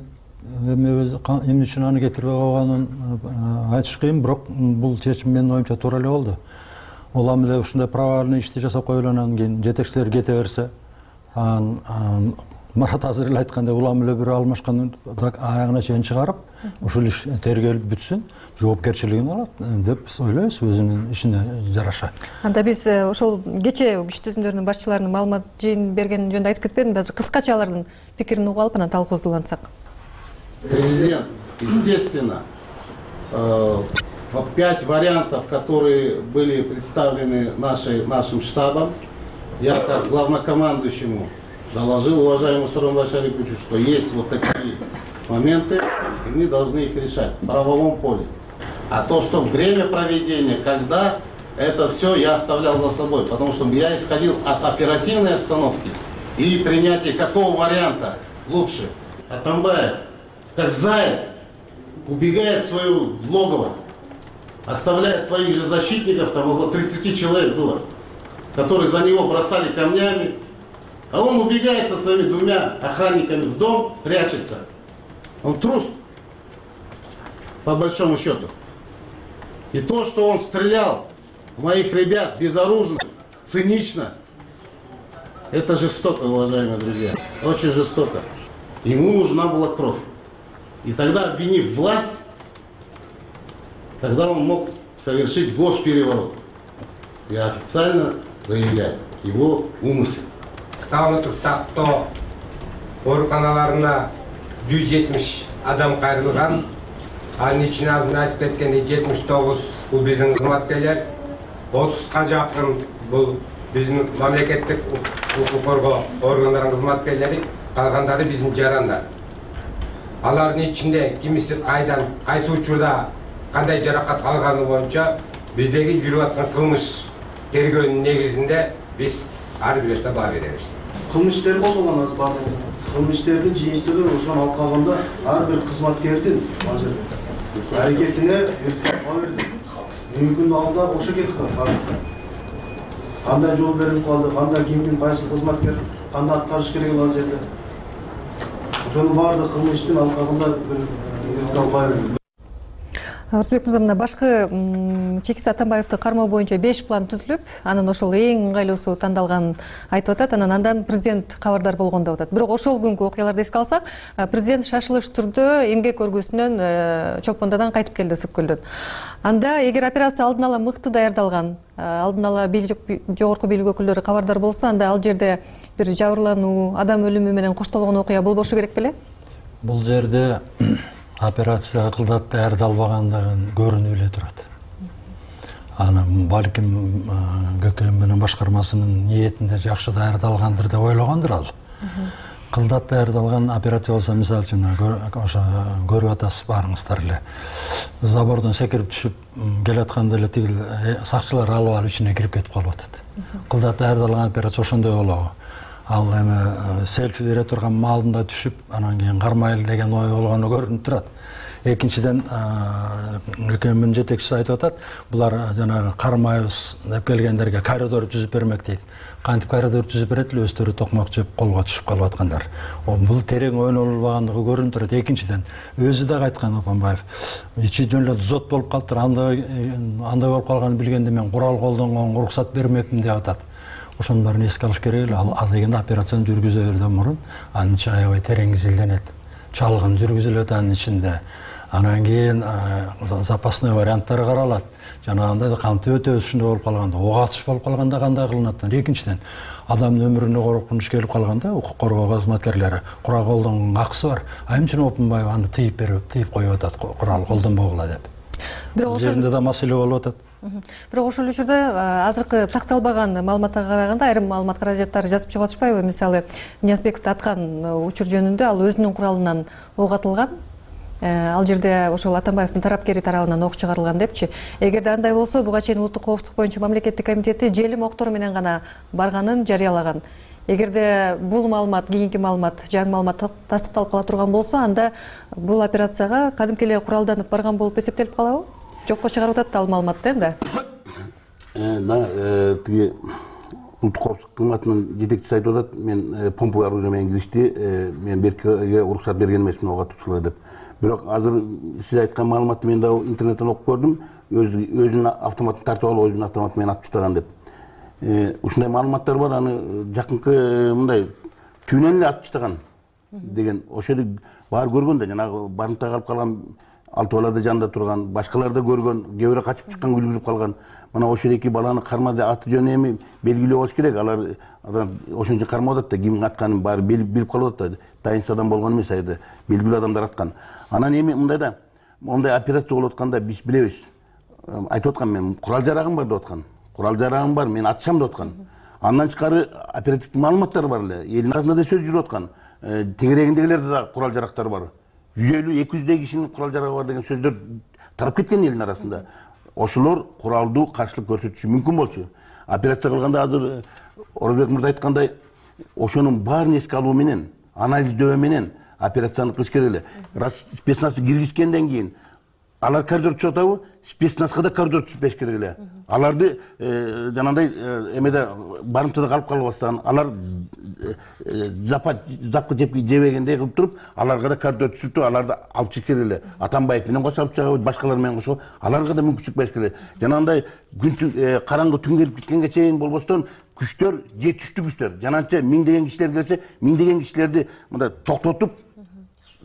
эмне үчүн аны кетирбей койгонун айтыш кыйын, бирок бул чечим менин оюмча туура эле болду. Улам эле ушундай провальный ишти жасап коюп анан кийин жетекчилер кете берсе, Марат азыр эле айткандай улам эле бир алмашкан аягына чейин чыгарып, ушул иш тергелип бүтсүн, жоопкерчилигин алат деп ойлойбуз өзүнүн ишине жараша. Анда биз ошол кечээ күч түзүмдөрүнүн башчыларынын маалымат жыйын берген жөнүндө айтып кетпедимби? Азыр кыскача алардын пикирин угуп алып анан талкуусулансак. Президент, естественно, 5 вариантов, которые были представлены нашим штабом, я как главнокомандующему доложил уважаемому Сооронбаю Шариповичу, что есть вот такие моменты, и мы должны их решать в правовом поле. А то, что время проведения, когда, это все я оставлял за собой, потому что я исходил от оперативной обстановки и принятия какого варианта лучше. Атамбаев, как заяц, убегает в свое логово, оставляя своих же защитников, там около 30 человек было, которые за него бросали камнями, а он убегает со своими 2 охранниками в дом, прячется. Он трус, по большому счету. И то, что он стрелял в моих ребят безоружных, цинично, это жестоко, уважаемые друзья, очень жестоко. Ему нужна была кровь. И тогда, обвинив власть, тогда он мог совершить госпереворот. Я официально заявляю его умысел. Саулык сактоо ооруканаларына 170 адам кайрылган. Анын ичине азыр айтып кеткендей 79 бул биздин кызматкерлер, 30га жакын бул биздин мамлекеттик укук коргоо органдарынын кызматкерлери, калгандары биздин жарандар. Алардын ичинде кимиси кайдан, кайсы учурда кандай жаракат алганы боюнча биздеги жүрүп аткан кылмыш тергөөнүн негизинде биз ар бирөөсүнө баа беребиз. Кылмыштер болгон баардыгы. Кылмыштердин жыйынтыгы ошол алкагында ар бир кызматкердин азыр аракетине баа берди. Мүмкүн алда ошо кетип калды. Кандай жол берип калды, кандай кимдин кайсы кызматкер кандай аткарыш керек ал жерде. Ошонун баардык кылмыштын алкагында баа берди. Арсбек мырза, мына башкы Чекист Атамбаевди кармоо боюнча 5 план түзүлүп, анын ошол эң ыңгайлуусу тандалганын айтып атат. Андан президент кабардар болгон деп атат. Бирок ошол күнкү окуяларды эске алсак, президент шашылыш түрдө эмгек көргүсүнөн Чолпондодон кайтып келди, Ысык-Көлдөн. Анда эгер операция алдын ала мыкты даярдалган, алдын ала жогорку бийлик өкүлдөрү кабардар болсо, анда ал жерде бир жабырлануу, адам өлүмү менен коштолгон окуя болбошу керек беле? Бул жерде операция кылдат даярдалбагандыгын көрүнүп эле турат. Анын балким ГКМ менен башкармасынын ниетинде жакшы даярдалгандыр деп ойлогондур ал. Кылдат даярдалган операция болсо, мисалы үчүн ошо көрүп атасыз баарыңыздар эле. Забордон секирип түшүп келатканда эле тигил сакчылар алып алып ичине кирип кетип калып атат. Кылдат даярдалган операция ошондой болобу? Ал эми селфи бере турган маалында түшүп, анан кийин кармайлы деген ой болгону көрүнүп турат. Экинчиден, ГКМдин жетекчиси айтып атат, булар жанагы кармайбыз деп келгендерге коридор түзүп бермек дейт. Кантип коридор түзүп берет эле, өздөрү токмок жеп колго түшүп калып аткандар. Бул терең ойнолбагандыгы көрүнүп турат. Экинчиден, өзү да айткан Атамбаев, ичи жөн эле зот болуп калыптыр, андай болуп калганын билгенде мен курал колдонгонго уруксат бермекмин деп атат. Ошонун баарын эске алыш керек эле. Ал дегенде операцияны жүргүзөрдөн мурун анын ичи аябай терең изилденет. Чалгын жүргүзүлөт анын ичинде. Анан кийин запасной варианттары каралат. Жанагындай кантип өтөбүз ушундай болуп калганда, ок атыш болуп калганда кандай кылынат. Экинчиден, адамдын өмүрүнө коркунуч келип калганда укук коргоо кызматкерлери курал колдонгонго акысы бар. Айым үчүн Опунбаев аны тыйып коюп атат, курал колдонбогула деп. Бул жеринде да маселе болуп атат. Бирок ошол учурда азыркы такталбаган маалыматка караганда айрым маалымат каражаттары жазып чыгып атышпайбы? Мисалы, Ниязбековду аткан учур жөнүндө ал өзүнүн куралынан ок атылган. Ал жерде ошол Атамбаевдин тарапкери тарабынан ок чыгарылган депчи. Эгерде андай болсо, буга чейин улуттук коопсуздук боюнча мамлекеттик комитети желим октору менен гана барганын жарыялаган. Эгерде бул маалымат, кийинки маалымат, жаңы маалымат тастыкталып кала турган болсо, анда бул операцияга кадимки эле куралданып барган болуп эсептелип калабы? Жокко чыгарып атат ал маалыматты энди. Тиги улуттук коопсуздук кызматынын жетекчиси айтып атат, мен помповый оружие менен киришти, мен беркиге уруксат берген эмесмин ок атуучулар деп. Бирок азыр сиз айткан маалыматты мен да интернеттен окуп көрдүм, өзүнүн автоматын тартып алып, өзүнүн автоматы менен атып таштаган деп. Ушундай маалыматтар бар, аны жакынкы мындай түбүнөн эле атып таштаган деген. Ошол баары көргөн да, жанагы барымтага калып калган алты балада жанында турган, башкалар да көргөн, кээ бирөө качып чыккан, үлгүрүп калган. Мына ошол эки баланы кармады, аты жөнү эми белгилүү болуш керек. Алар ошон үчүн кармап атат да, кимдин атканын баары билип калып атат да. Тайынсыз адам болгон эмес, айда белгилүү адамдар аткан. Анан эми мындайда, мондай операция болуп атканда биз билебиз. Айтып аткан, мен курал жарагым бар деп аткан. Курал жарагым бар, мен атышам деп аткан. Андан тышкары оперативдик маалыматтар бар эле. Элдин арасында да сөз жүрүп аткан. Тегерегиндегилерде да курал жарактар бар. 150-200 кишинин курал жарагы бар деген сөздөр тарап кеткен элдин арасында. Ошолор куралдуу каршылык көрсөтүшү мүмкүн болчу. Операция кылганда азыр Орозбек мырза айткандай, ошонун баарын эске алуу менен, анализдөө менен операцияны кылыш керек эле. Раз спецназды киргизгенден кийин алар коридор түшүп атабы, спецназга да коридор түшүп бериш керек эле. Аларды жанагындай эмеде барымтада калып калбастан, алар запка жебегендей кылып туруп, аларга да коридор түшүп туруп, аларды алып чыгыш керек эле. Атамбаев менен кошо алып чыгабы, башкалар менен кошо, аларга да мүмкүнчүлүк бериш керек эле. Жанагындай караңгы түн келип кеткенге чейин болбостон күчтөр, жетиштүү күчтөр, жананча миңдеген кишилер келсе, миңдеген кишилерди мындай токтотуп,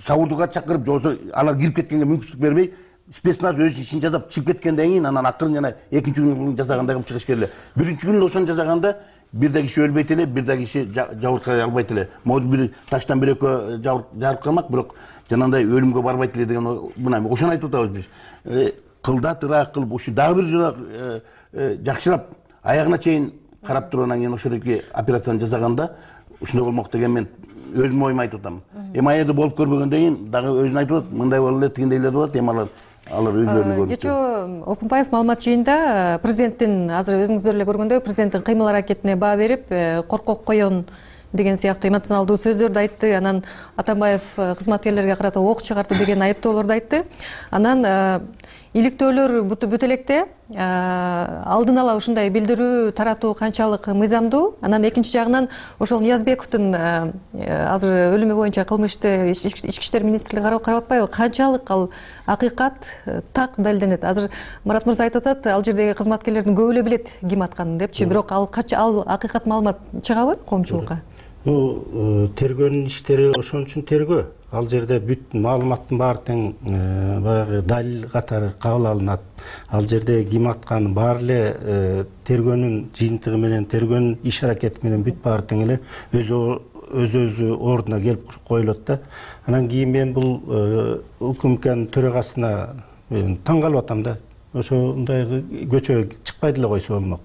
сабурдуга чакырып, жоксо алар кирип кеткенге мүмкүнчүлүк бербей, спецназ өз ишин жасап чыгып кеткенден кийин анан акырын жана экинчи күнү жасагандай кылып чыгыш керек эле. Биринчи күнү ошону жасаганда бир да киши өлбөйт эле, бир да киши жабыркай албайт эле. Могу бир таштан бир экөө жабырып калмак, бирок жанагындай өлүмгө барбайт эле деген мына ошону айтып атабыз биз. Кылдатыраак кылып, ушу дагы бир жолу жакшырап аягына чейин карап туруп анан кийин ошолордуки операцияны жасаганда ушундай болмок деген мен өзүмдүн оюмду айтып атам. Эми аерде болуп көрбөгөндөн кийин дагы өзүн айтып атат, мындай болот эле, тигиндейлер болот, эми алар өздөрүнө көрүп. Кечээ Опунбаев маалымат жыйынында президенттин азыр өзүңүздөр эле көргөндөй президенттин кыймыл аракетине баа берип, коркок коен деген сыяктуу эмоционалдуу сөздөрдү айтты. Анан Атамбаев кызматкерлерге карата ок чыгарды деген айыптоолорду айтты. Анан иликтөөлөр бүт электе алдын ала ушундай билдирүү таратуу канчалык мыйзамдуу? Анан экинчи жагынан ошол Ниязбековдун азыр өлүмү боюнча кылмышты ички иштер министрлиги карап атпайбы? Канчалык ал акыйкат так далилденет? Азыр Марат мырза айтып атат, ал жердеги кызматкерлердин көбү эле билет ким атканын депчи, бирок ал акыйкат маалымат чыгабы коомчулукка? Тергөөнүн иштери ошон үчүн тергөө. Ал жерде бүт маалыматтын баары тең баягы далил катары кабыл алынат. Ал жерде ким атканы баары эле тергөөнүн жыйынтыгы менен, тергөөнүн иш аракети менен бүт баары тең эле өзү ордуна келип коюлат да. Анан кийин мен бул УКМКнын төрагасына таң калып атам да. Ошондой көчөгө чыкпай деле койсо болмок.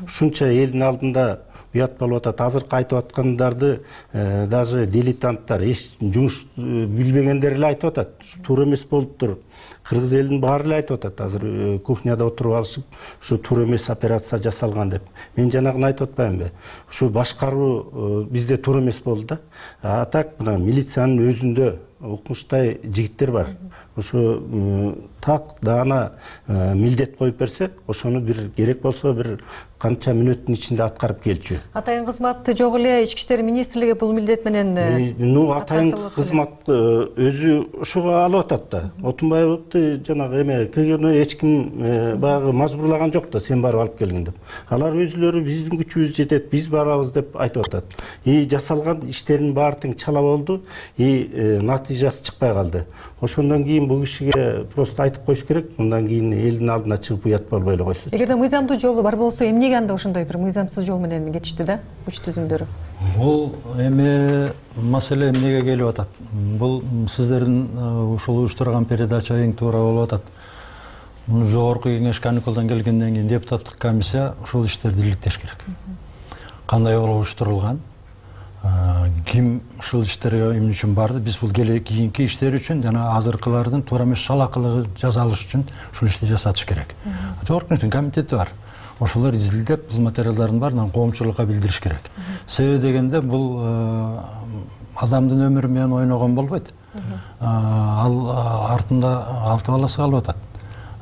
Ушунча элдин алдында уят болуп атат. Азыркы айтып аткандарды даже дилетанттар, эч жумуш билбегендер эле айтып атат. Туура эмес болуптур. Кыргыз элинин баары эле айтып атат. Азыр кухняда отуруп алышып, ушу туура эмес операция жасалган деп. Мен жанагыны айтып атпаймынбы? Ушу башкаруу бизде туура эмес болду да. А так мына милициянын өзүндө укмуштай жигиттер бар. Ушу так даана милдет коюп берсе, ошону бир керек болсо бир канча мүнөттүн ичинде аткарып келчү. Атайын кызмат жок эле, ички иштер министрлиги бул милдет менен атайын кызмат өзү ошого алып атат да. Отунбаевди жанагы эме кыйгыны эч ким баягы мажбурлаган жок да, сен барып алып келгин деп. Алар өзүлөрү биздин күчүбүз жетет, биз барабыз деп айтып атат. Жасалган иштердин баары тең чала болду, натыйжасы чыкпай калды. Ошондон кийин бул кишиге просто айтып коюш керек, мындан кийин элдин алдына чыгып уят болбой эле койсун. Эгерде мыйзамдуу жолу бар болсо, эмнеге анда ошондой бир мыйзамсыз жол менен кетишти да, күч түзүмдөрү? Бул эми маселе эмнеге келип атат? Бул сиздердин ушул уюштурган передача эң туура болуп атат. Жогорку кеңеш каникулдан келгенден кийин депутаттык комиссия ушул иштерди иликтеш керек. Кандай болуп уюштурулган? Ким ушул иштерге эмне үчүн барды? Биз бул кийинки иштер үчүн жана азыркылардын туура эмес шалакылыгы жазалыш үчүн ушул ишти жасатыш керек. Жогорку кеңештин комитети бар. Ошолор изилдеп, бул материалдардын баарын коомчулукка билдириш керек. Себеби дегенде бул адамдын өмүрү менен ойногон болбойт. Ал артында 6 баласы калып атат.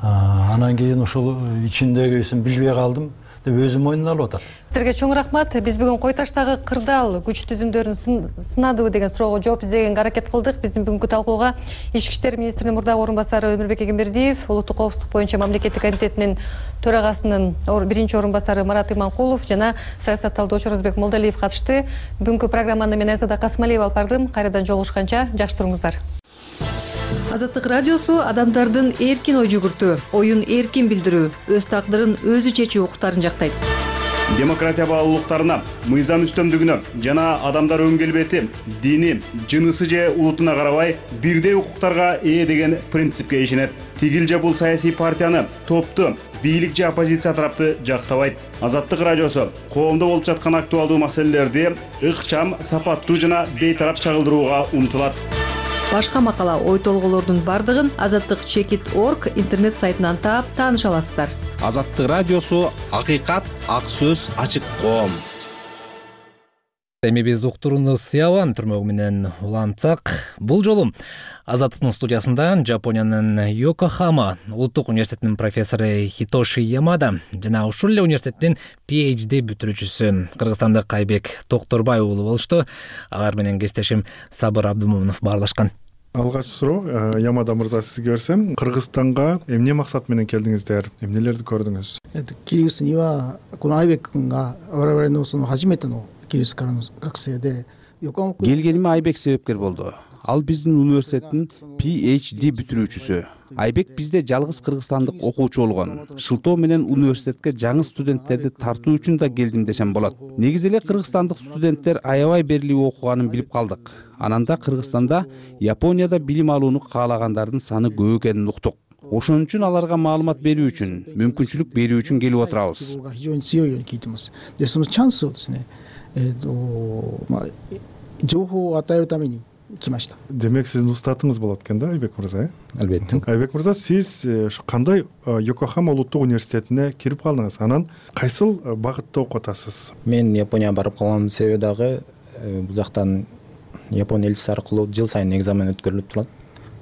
Анан кийин ушул ичиндегисин билбей калдым деп өзү мойнуна алып атат. Сизерге чоң рахмат. Биз бүгүн Кой Таштагы кырдаал күч түзүмдөрүн сынадыбы деген суроого жооп издегенге аракет кылдык. Биздин бүгүнкү талкууга Ички иштер министринин мурдагы орун басары Өмүрбек Эгембердиев, улуттук коопсуздук боюнча мамлекеттик комитетинин төрагасынын биринчи орун басары Марат Иманкулов жана саясат талдоочу Орозбек Молдалиев катышты. Бүгүнкү программаны мен Айзада Касымалиева алып бардым. Кайрадан жолугушканча жакшы туруңуздар. Азаттык радиосу адамдардын эркин ой жүгүртүү, оюн эркин билдирүү, өз тагдырын өзү чечүү укуктарын жактайт. демократия баалуулуктарына, мыйзам үстөмдүгүнө жана адамдар өң келбети, дини, жынысы же улутуна карабай бирдей укуктарга ээ деген принципке ишенет. Тигил же бул саясий партияны, топту, бийлик же оппозиция тарапты жактабайт. Азаттык радиосу коомдо болуп жаткан актуалдуу маселелерди ыкчам, сапаттуу жана бейтарап чагылдырууга умтулат. Башка макала, ой толгоолордун бардыгын azattik.org интернет сайтынан таап тааныша аласыздар. Азаттык радиосу акыйкат, ак сөз, ачык коом. Эми биз уктурууну Сыябан түрмөгү менен улантсак, бул жолу Азаттыктын студиясында Жапониянын Йокохама улуттук университетинин профессору Хитоши Ямада жана ушул эле университеттин PhD бүтүрүүчүсү кыргызстандык Айбек Токторбай уулу болушту. Алар менен кесиптешим Сабыр Абдымомунов баарлашкан. Алгач суроо Ямада мырза сизге берсем, Кыргызстанга эмне максат менен келдиңиздер? Эмнелерди көрдүңүз? キリギリスにはこのアイベック君が我々のその初めてのキリギリスからの学生で Келгениме Айбек себепкер болду. Ал биздин университеттин PhD бүтүрүүчүсү. Айбек бизде жалгыз кыргызстандык окуучу болгон. Шылтоо менен университетке жаңы студенттерди тартуу үчүн да келдим десем болот. Негизи эле кыргызстандык студенттер аябай берилип окуганын билип калдык. Анан да Кыргызстанда, Японияда билим алууну каалагандардын саны көп экенин уктук. Ошон үчүн аларга маалымат берүү үчүн, мүмкүнчүлүк берүү үчүн келип отурабыз. でそのチャンスをですね、情報を与えるために来ました。 Демек сиздин устатыңыз болот экен да, Айбек мырза? Албетте. Айбек мырза, сиз кандай Йокохама улуттук университетине кирип калдыңыз? Анан кайсыл багытта окуп атасыз? Мен Японияга барып калган себеби дагы бул жактан Япония элчиси аркылуу жыл сайын экзамен өткөрүлүп турат.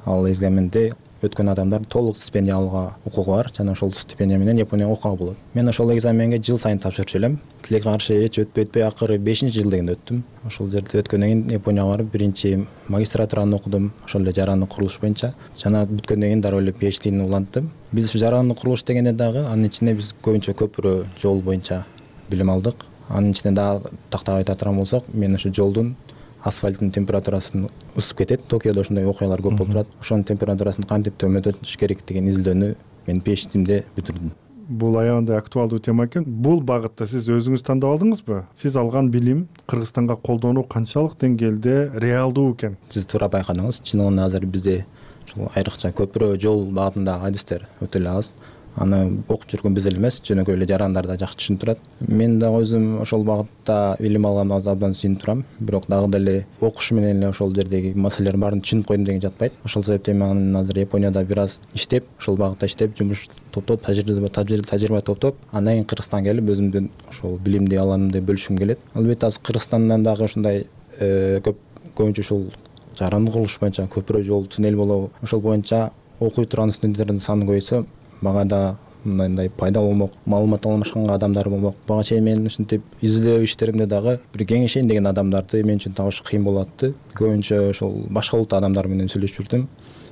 Ал экзаменде өткөн адамдар толук стипендия алууга укугу бар жана ошол стипендия менен Японияга окууга болот. Мен ошол экзаменге жыл сайын тапшырчу элем. Тилекке каршы эч өтпөй акыры 5-жыл дегенде өттүм. Ошол жерде өткөндөн кийин Японияга барып биринчи магистратураны окудум. Ошол эле жарандык курулуш боюнча. Жана бүткөндөн кийин дароо эле PhD'ни уланттым. Биз ушу жарандык курулуш дегенде дагы анын ичинде биз көбүнчө көпүрө жол боюнча билим алдык. Анын ичинде дагы тактап айта турган болсок, мен ушу жолдун асфальттын температурасын ысып кетет. Токиодо ошондой окуялар көп болуп турат. Ошонун температурасын кантип төмөндөтүш керек деген изилдөөнү мен PhD'мде бүтүрдүм. Бул аябай актуалдуу тема экен. Бул багытта сиз өзүңүз тандап алдыңызбы? Сиз алган билим Кыргызстанга колдонуу канчалык деңгээлде реалдуу экен? Сиз туура байкадыңыз. Чынында азыр бизде ошол айрыкча көпүрө жол багытында адистер өтө эле аз. Аны окуп жүргөн биз эле эмес, жөнөкөй эле жарандар да жакшы түшүнүп турат. Мен дагы өзүм ошол багытта билим алганга абдан сүйүнүп турам. Бирок дагы деле окуш менен эле ошол жердеги маселелердин баарын түшүнүп койдум деген жатпайт. Ошол себептен мен азыр Японияда бир аз иштеп, ошол багытта иштеп, жумуш топтоп, тажрыйба топтоп, андан кийин Кыргызстанга келип өзүмдүн ошол билимди алганымды бөлүшкүм келет. Албетте азыр Кыргызстандан дагы ушундай көбүнчө ушул жарандык курулуш боюнча көпүрө жол, туннель болобу, ошол боюнча окуй турган студенттердин саны көбөйсө, мага да мындай пайда болмок, маалымат алмашканга адамдар болмок. Бага чейин мен ушинтип изилдөө иштеримде дагы бир кеңешейин деген адамдарды мен үчүн табыш кыйын болот атты. Көбүнчө ошол башка улуттун адамдары менен сүйлөшүп жүрдүм.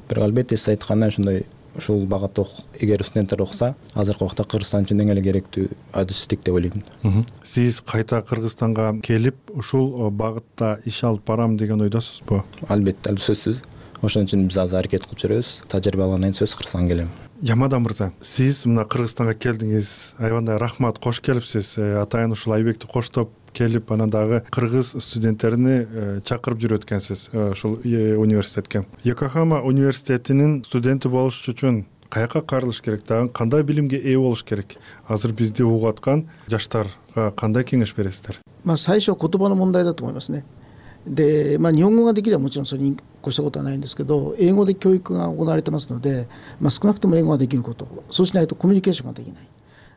Бирок албетте сиз айткандай ошондой ушул багытта эгер студенттер окуса, азыркы убакта Кыргызстан үчүн эң эле керектүү адистик деп ойлойм. Сиз кайта Кыргызстанга келип, ушул багытта иш алып барам деген ойдосузбу? Албетте, сөзсүз. Ошон үчүн биз азыр аракет кылып жүрөбүз. Тажрыйба алгандан кийин сөз Кыргызстанга келем. Ямада мырза, сиз мына Кыргызстанга келдиңиз, аябандай рахмат, кош келипсиз. Атайын ушул Айбекти коштоп келип, анан дагы кыргыз студенттерини чакырып жүрөт экенсиз ушул университетке. Йокохама университетинин студенти болуш үчүн каяка карылыш керек, дагы кандай билимге ээ болуш керек? Азыр бизди угуп аткан жаштарга кандай кеңеш бересиздер? 最初は言葉の問題だと思いますね。で、日本語ができればもちろんそれに越したことはないんですけど、英語で教育が行われてますので、少なくとも英語ができること、そうしないとコミュニケーションができない。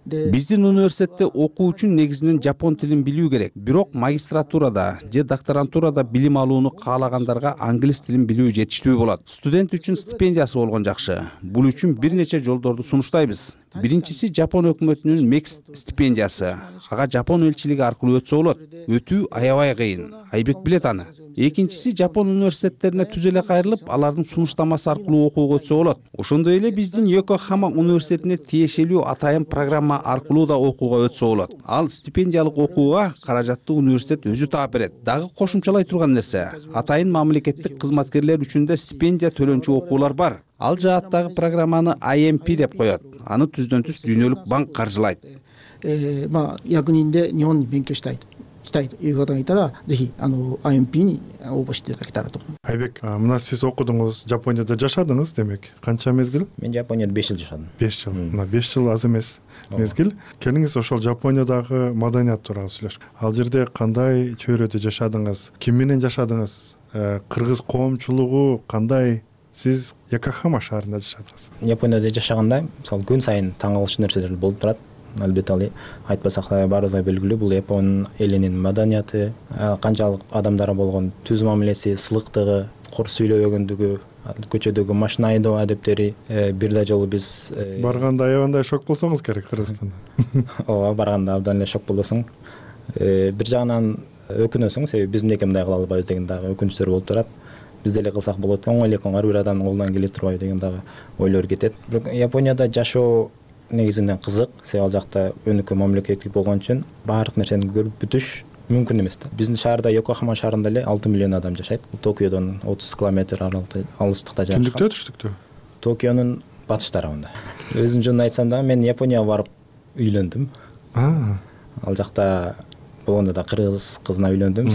Биздин университетте окуу үчүн негизинен жапон тилин билүү керек. Бирок магистратурада же докторантурада билим алууну каалагандарга англис тилин билүү жетиштүү болот. Студент үчүн стипендиясы болгон жакшы. Бул үчүн бир нече жолдорду сунуштайбыз. Биринчиси Жапон өкмөтүнүн MEX стипендиясы. Ага Жапон элчилиги аркылуу өтсө болот. Өтүү аябай кыйын. Айбек билет аны. Экинчиси Жапон университеттерине түз эле кайрылып, алардын сунуштамасы аркылуу окууга өтсө болот. Ошондой эле биздин Йокохама университетине тиешелүү атайын программа аркылуу да окууга өтсө болот. Ал стипендиялык окууга каражатты университет өзү таап берет. Дагы кошумчалай турган нерсе, атайын мамлекеттик кызматкерлер үчүн да стипендия төлөнчү окуулар бар. Ал жааттагы программаны IMP деп коет. Аны түздөн-түз Дүйнөлүк банк каржылайт. 役人で日本に勉強したいという方がいたら、ぜひIMP に応募していただけたらと思います。Айбек, мына сиз окудуңуз, Жапонияда жашадыңыз демек. Канча мезгил? Мен Жапонияда 5 жыл жашадым. 5 жыл. Мына 5 жыл аз эмес мезгил. Келиңиз ошол Жапониядагы маданият тууралуу сүйлөшкү. Ал жерде кандай чөйрөдө жашадыңыз? Ким менен жашадыңыз? Кыргыз коомчулугу кандай? Сиз Якохама шаарында жашадыңыз. Японияда жашаганда, мисалы, күн сайын таң калыштуу нерселер болуп турат. Албетте ал айтпасак да баарыбызга белгилүү, бул Япон элинин маданияты, канчалык адамдары болгон түз мамилеси, сылыктыгы, кор сүйлөбөгөндүгү, көчөдөгү машина айдоо адептери. Бир да жолу биз барганда аябандай шок болсоңуз керек Кыргызстанда. Ооба, барганда абдан эле шок болосуң. Бир жагынан өкүнөсүң, себеби биз эмнеге мындай кыла албайбыз деген дагы өкүнүчтөр болуп турат. Биз деле кылсак болот, оңой эле ар бир адамдын колунан келе турбайбы деген дагы ойлор кетет. Бирок Японияда жашоо негизинен кызык, себеби ал жакта өнүккөн мамлекет болгон үчүн баардык нерсени көрүп бүтүш мүмкүн эмес да. Биздин шаарда, Йокохама шаарында эле 6 миллион адам жашайт. Токиодон 30 километр алыстыкта жашайт. Түндүктө, түштүктө? Токионун батыш тарабында. Өзүм жөнүндө айтсам дагы, мен Японияга барып үйлөндүм. Ал жакта болгондо да кыргыз кызына үйлөндүм.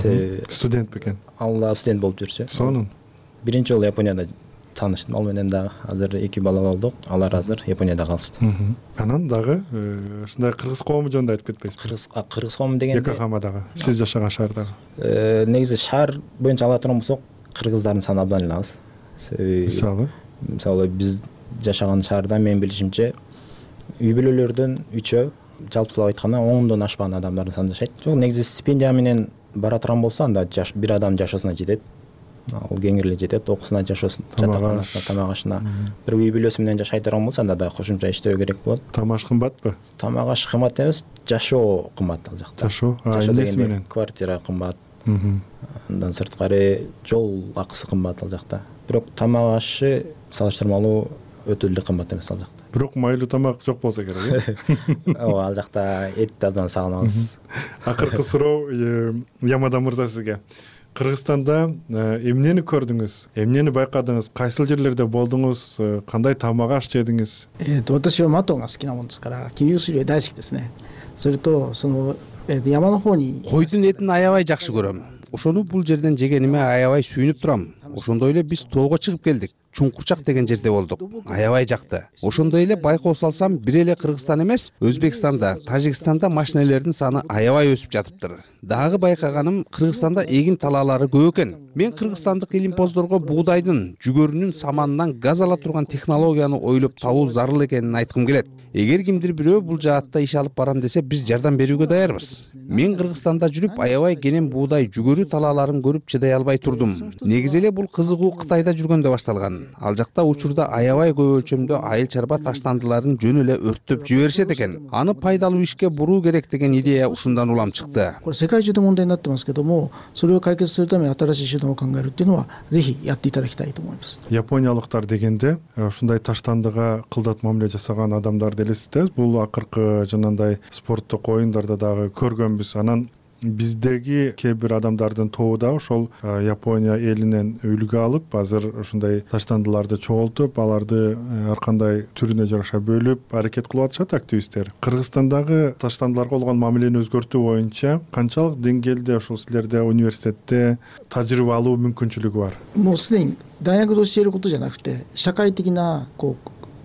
Студент бекен? Ал да студент болуп жүрчү. Сонун. Биринчи жолу Японияда тааныштым. Ал менен дагы азыр 2 бала болдук. Алар азыр Японияда калышты. Анан дагы ушундай кыргыз коому жөнүндө айтып кетпейсизби? Кыргыз коому дегенде Йокохамадагы, сиз жашаган шаардагы. Негизи шаар боюнча ала турган болсок, кыргыздардын саны абдан эле аз. Мисалы, биз жашаган шаарда мен билишимче үй бүлөлөрдөн 3-өө, жалпысылап айтканда 10дон ашпаган адамдардын саны жашайт. Жок, негизи стипендия менен бара турган болсо, анда бир адам жашоосуна жетет. Ал кеңири эле жетет, окуусуна, жашоосуна, жатаканасына, тамак ашына. Бир үй бүлөсү менен жашай турган болсо, анда да кошумча иштөө керек болот. Тамак аш кымбатпы? Тамак аш кымбат эмес, жашоо кымбат ал жакта. Жашоо дегенде квартира кымбат. Андан сырткары жол акысы кымбат ал жакта. Бирок тамак ашы салыштырмалуу өтө эле кымбат эмес ал жакта. Бирок майлуу тамак жок болсо керек, э? Ооба, ал жакта этти абдан сагынабыз. Акыркы суроо Ямада мырза сизге. Кыргызстанда эмнени көрдүңүз? Эмнени байкадыңыз? Кайсыл жерлерде болдуңуз? Кандай тамак аш жедиңиз? 私はマトンが好きなもんですから、桐生水大好きですね。それと山の方に Койдун этин аябай жакшы көрөм. Ошону бул жерден жегениме аябай сүйүнүп турам. Ошондой эле биз тоого чыгып келдик. Чуңкурчак деген жерде болдук. Аябай жакты. Ошондой эле байкоо салсам, бир эле Кыргызстан эмес, Өзбекстанда, Тажикстанда машинелердин саны аябай өсүп жатыптыр. Дагы байкаганым, Кыргызстанда эгин талаалары көп экен. Мен кыргызстандык илимпоздорго бугдайдын, жүгөрүнүн саманынан газ ала турган технологияны ойлоп табуу зарыл экенин айткым келет. Эгер кимдир бирөө бул жаатта иш алып барам десе, биз жардам берүүгө даярбыз. Мен Кыргызстанда жүрүп, аябай кенен буудай, жүгөрү талааларын көрүп чыдай албай турдум. Негизи эле бул кызыгуу Кытайда жүргөндө башталган. Ал жакта учурда аябай көп өлчөмдө айыл чарба таштандыларын жөн эле өрттөп жиберишет экен. Аны пайдалуу ишке буруу керек деген идея ушундан улам чыкты. これ世界中で問題になってますけども、それを解決するために新しい手段を考えるっていうのはぜひやっていただきたいと思います。Япониялыктар дегенде ушундай таштандыга кылдат мамиле жасаган адамдарды элестетебиз. Бул акыркы жанагындай спорттук оюндарда дагы көргөнбүз. Анан биздеги кээ бир адамдардын тобу да ошол Япония элинен үлгү алып, азыр ушундай таштандыларды чогултуп, аларды ар кандай түрүнө жараша бөлүп аракет кылып атышат активисттер. Кыргызстандагы таштандыларга болгон мамилени өзгөртүү боюнча канчалык деңгээлде ошол силерде университетте тажрыйба алуу мүмкүнчүлүгү бар? もうすでに大学で教えることじゃなくて、社会的な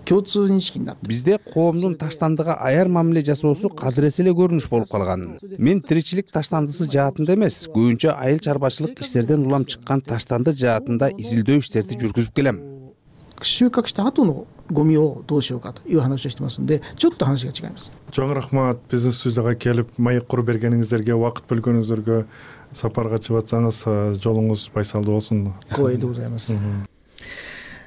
共通認識になってる。 Бизде коомдун таштандыга аяр мамиле жасоосу кадырес эле көрүнүш болуп калган. Мен тиричилик таштандысы жаатында эмес, көбүнчө айыл чарбачылык иштерден улам чыккан таштанды жаатында изилдөө иштерди жүргүзүп келем. 収穫した後のゴミをどうしようかという話をしてますので、ちょっと話が違います。 Чоң рахмат биздин студияга келип, маек куруп бергениңиздерге, убакыт бөлгөнүңүздөргө, сапарга чыгып атсаңыз, жолуңуз байсалдуу болсун. 光栄でございます。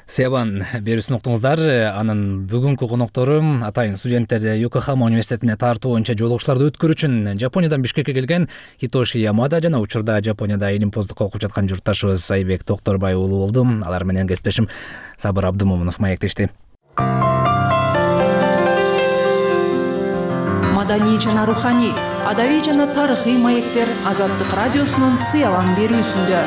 Себан берүүсүн уктуңуздар. Анын бүгүнкү коноктору атайын студенттерди Йокохама университетине тартуу боюнча жолугушларды өткөрүү үчүн Жапониядан Бишкекке келген Хитоши Ямада жана учурда Жапонияда илимпоздукка окуп жаткан журтташыбыз Айбек Токторбай уулу болду. Алар менен кесиптешим Сабыр Абдымомунов маектешти. Маданий жана руханий, адабий жана тарыхый маектер Азаттык радиосунун сыялан берүүсүндө.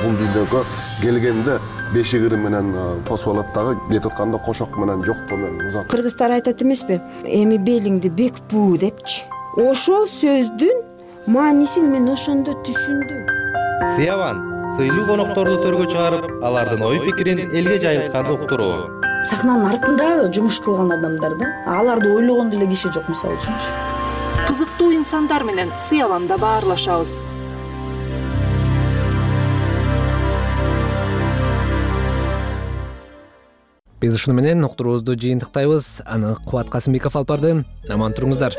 бул дүйнөгө келгенде бешигири менен тосуп алат дагы, кетип атканда кошок менен жоктоо менен узат. Кыргыздар айтат эмеспи, эми белиңди бек буу депчи. Ошол сөздүн маанисин мен ошондо түшүндүм. Сыябан сыйлуу конокторду төргө чыгарып, алардын ой пикирин элге жайылтканды уктуруу. Сахнанын артында жумуш кылган адамдар да, аларды ойлогон деле киши жок, мисалы үчүнчү. Кызыктуу инсандар менен Сыябанда баарлашабыз. Биз ушуну менен уктуруубузду жыйынтыктайбыз. Аны Кубат Касымбеков алып барды. Аман туруңуздар.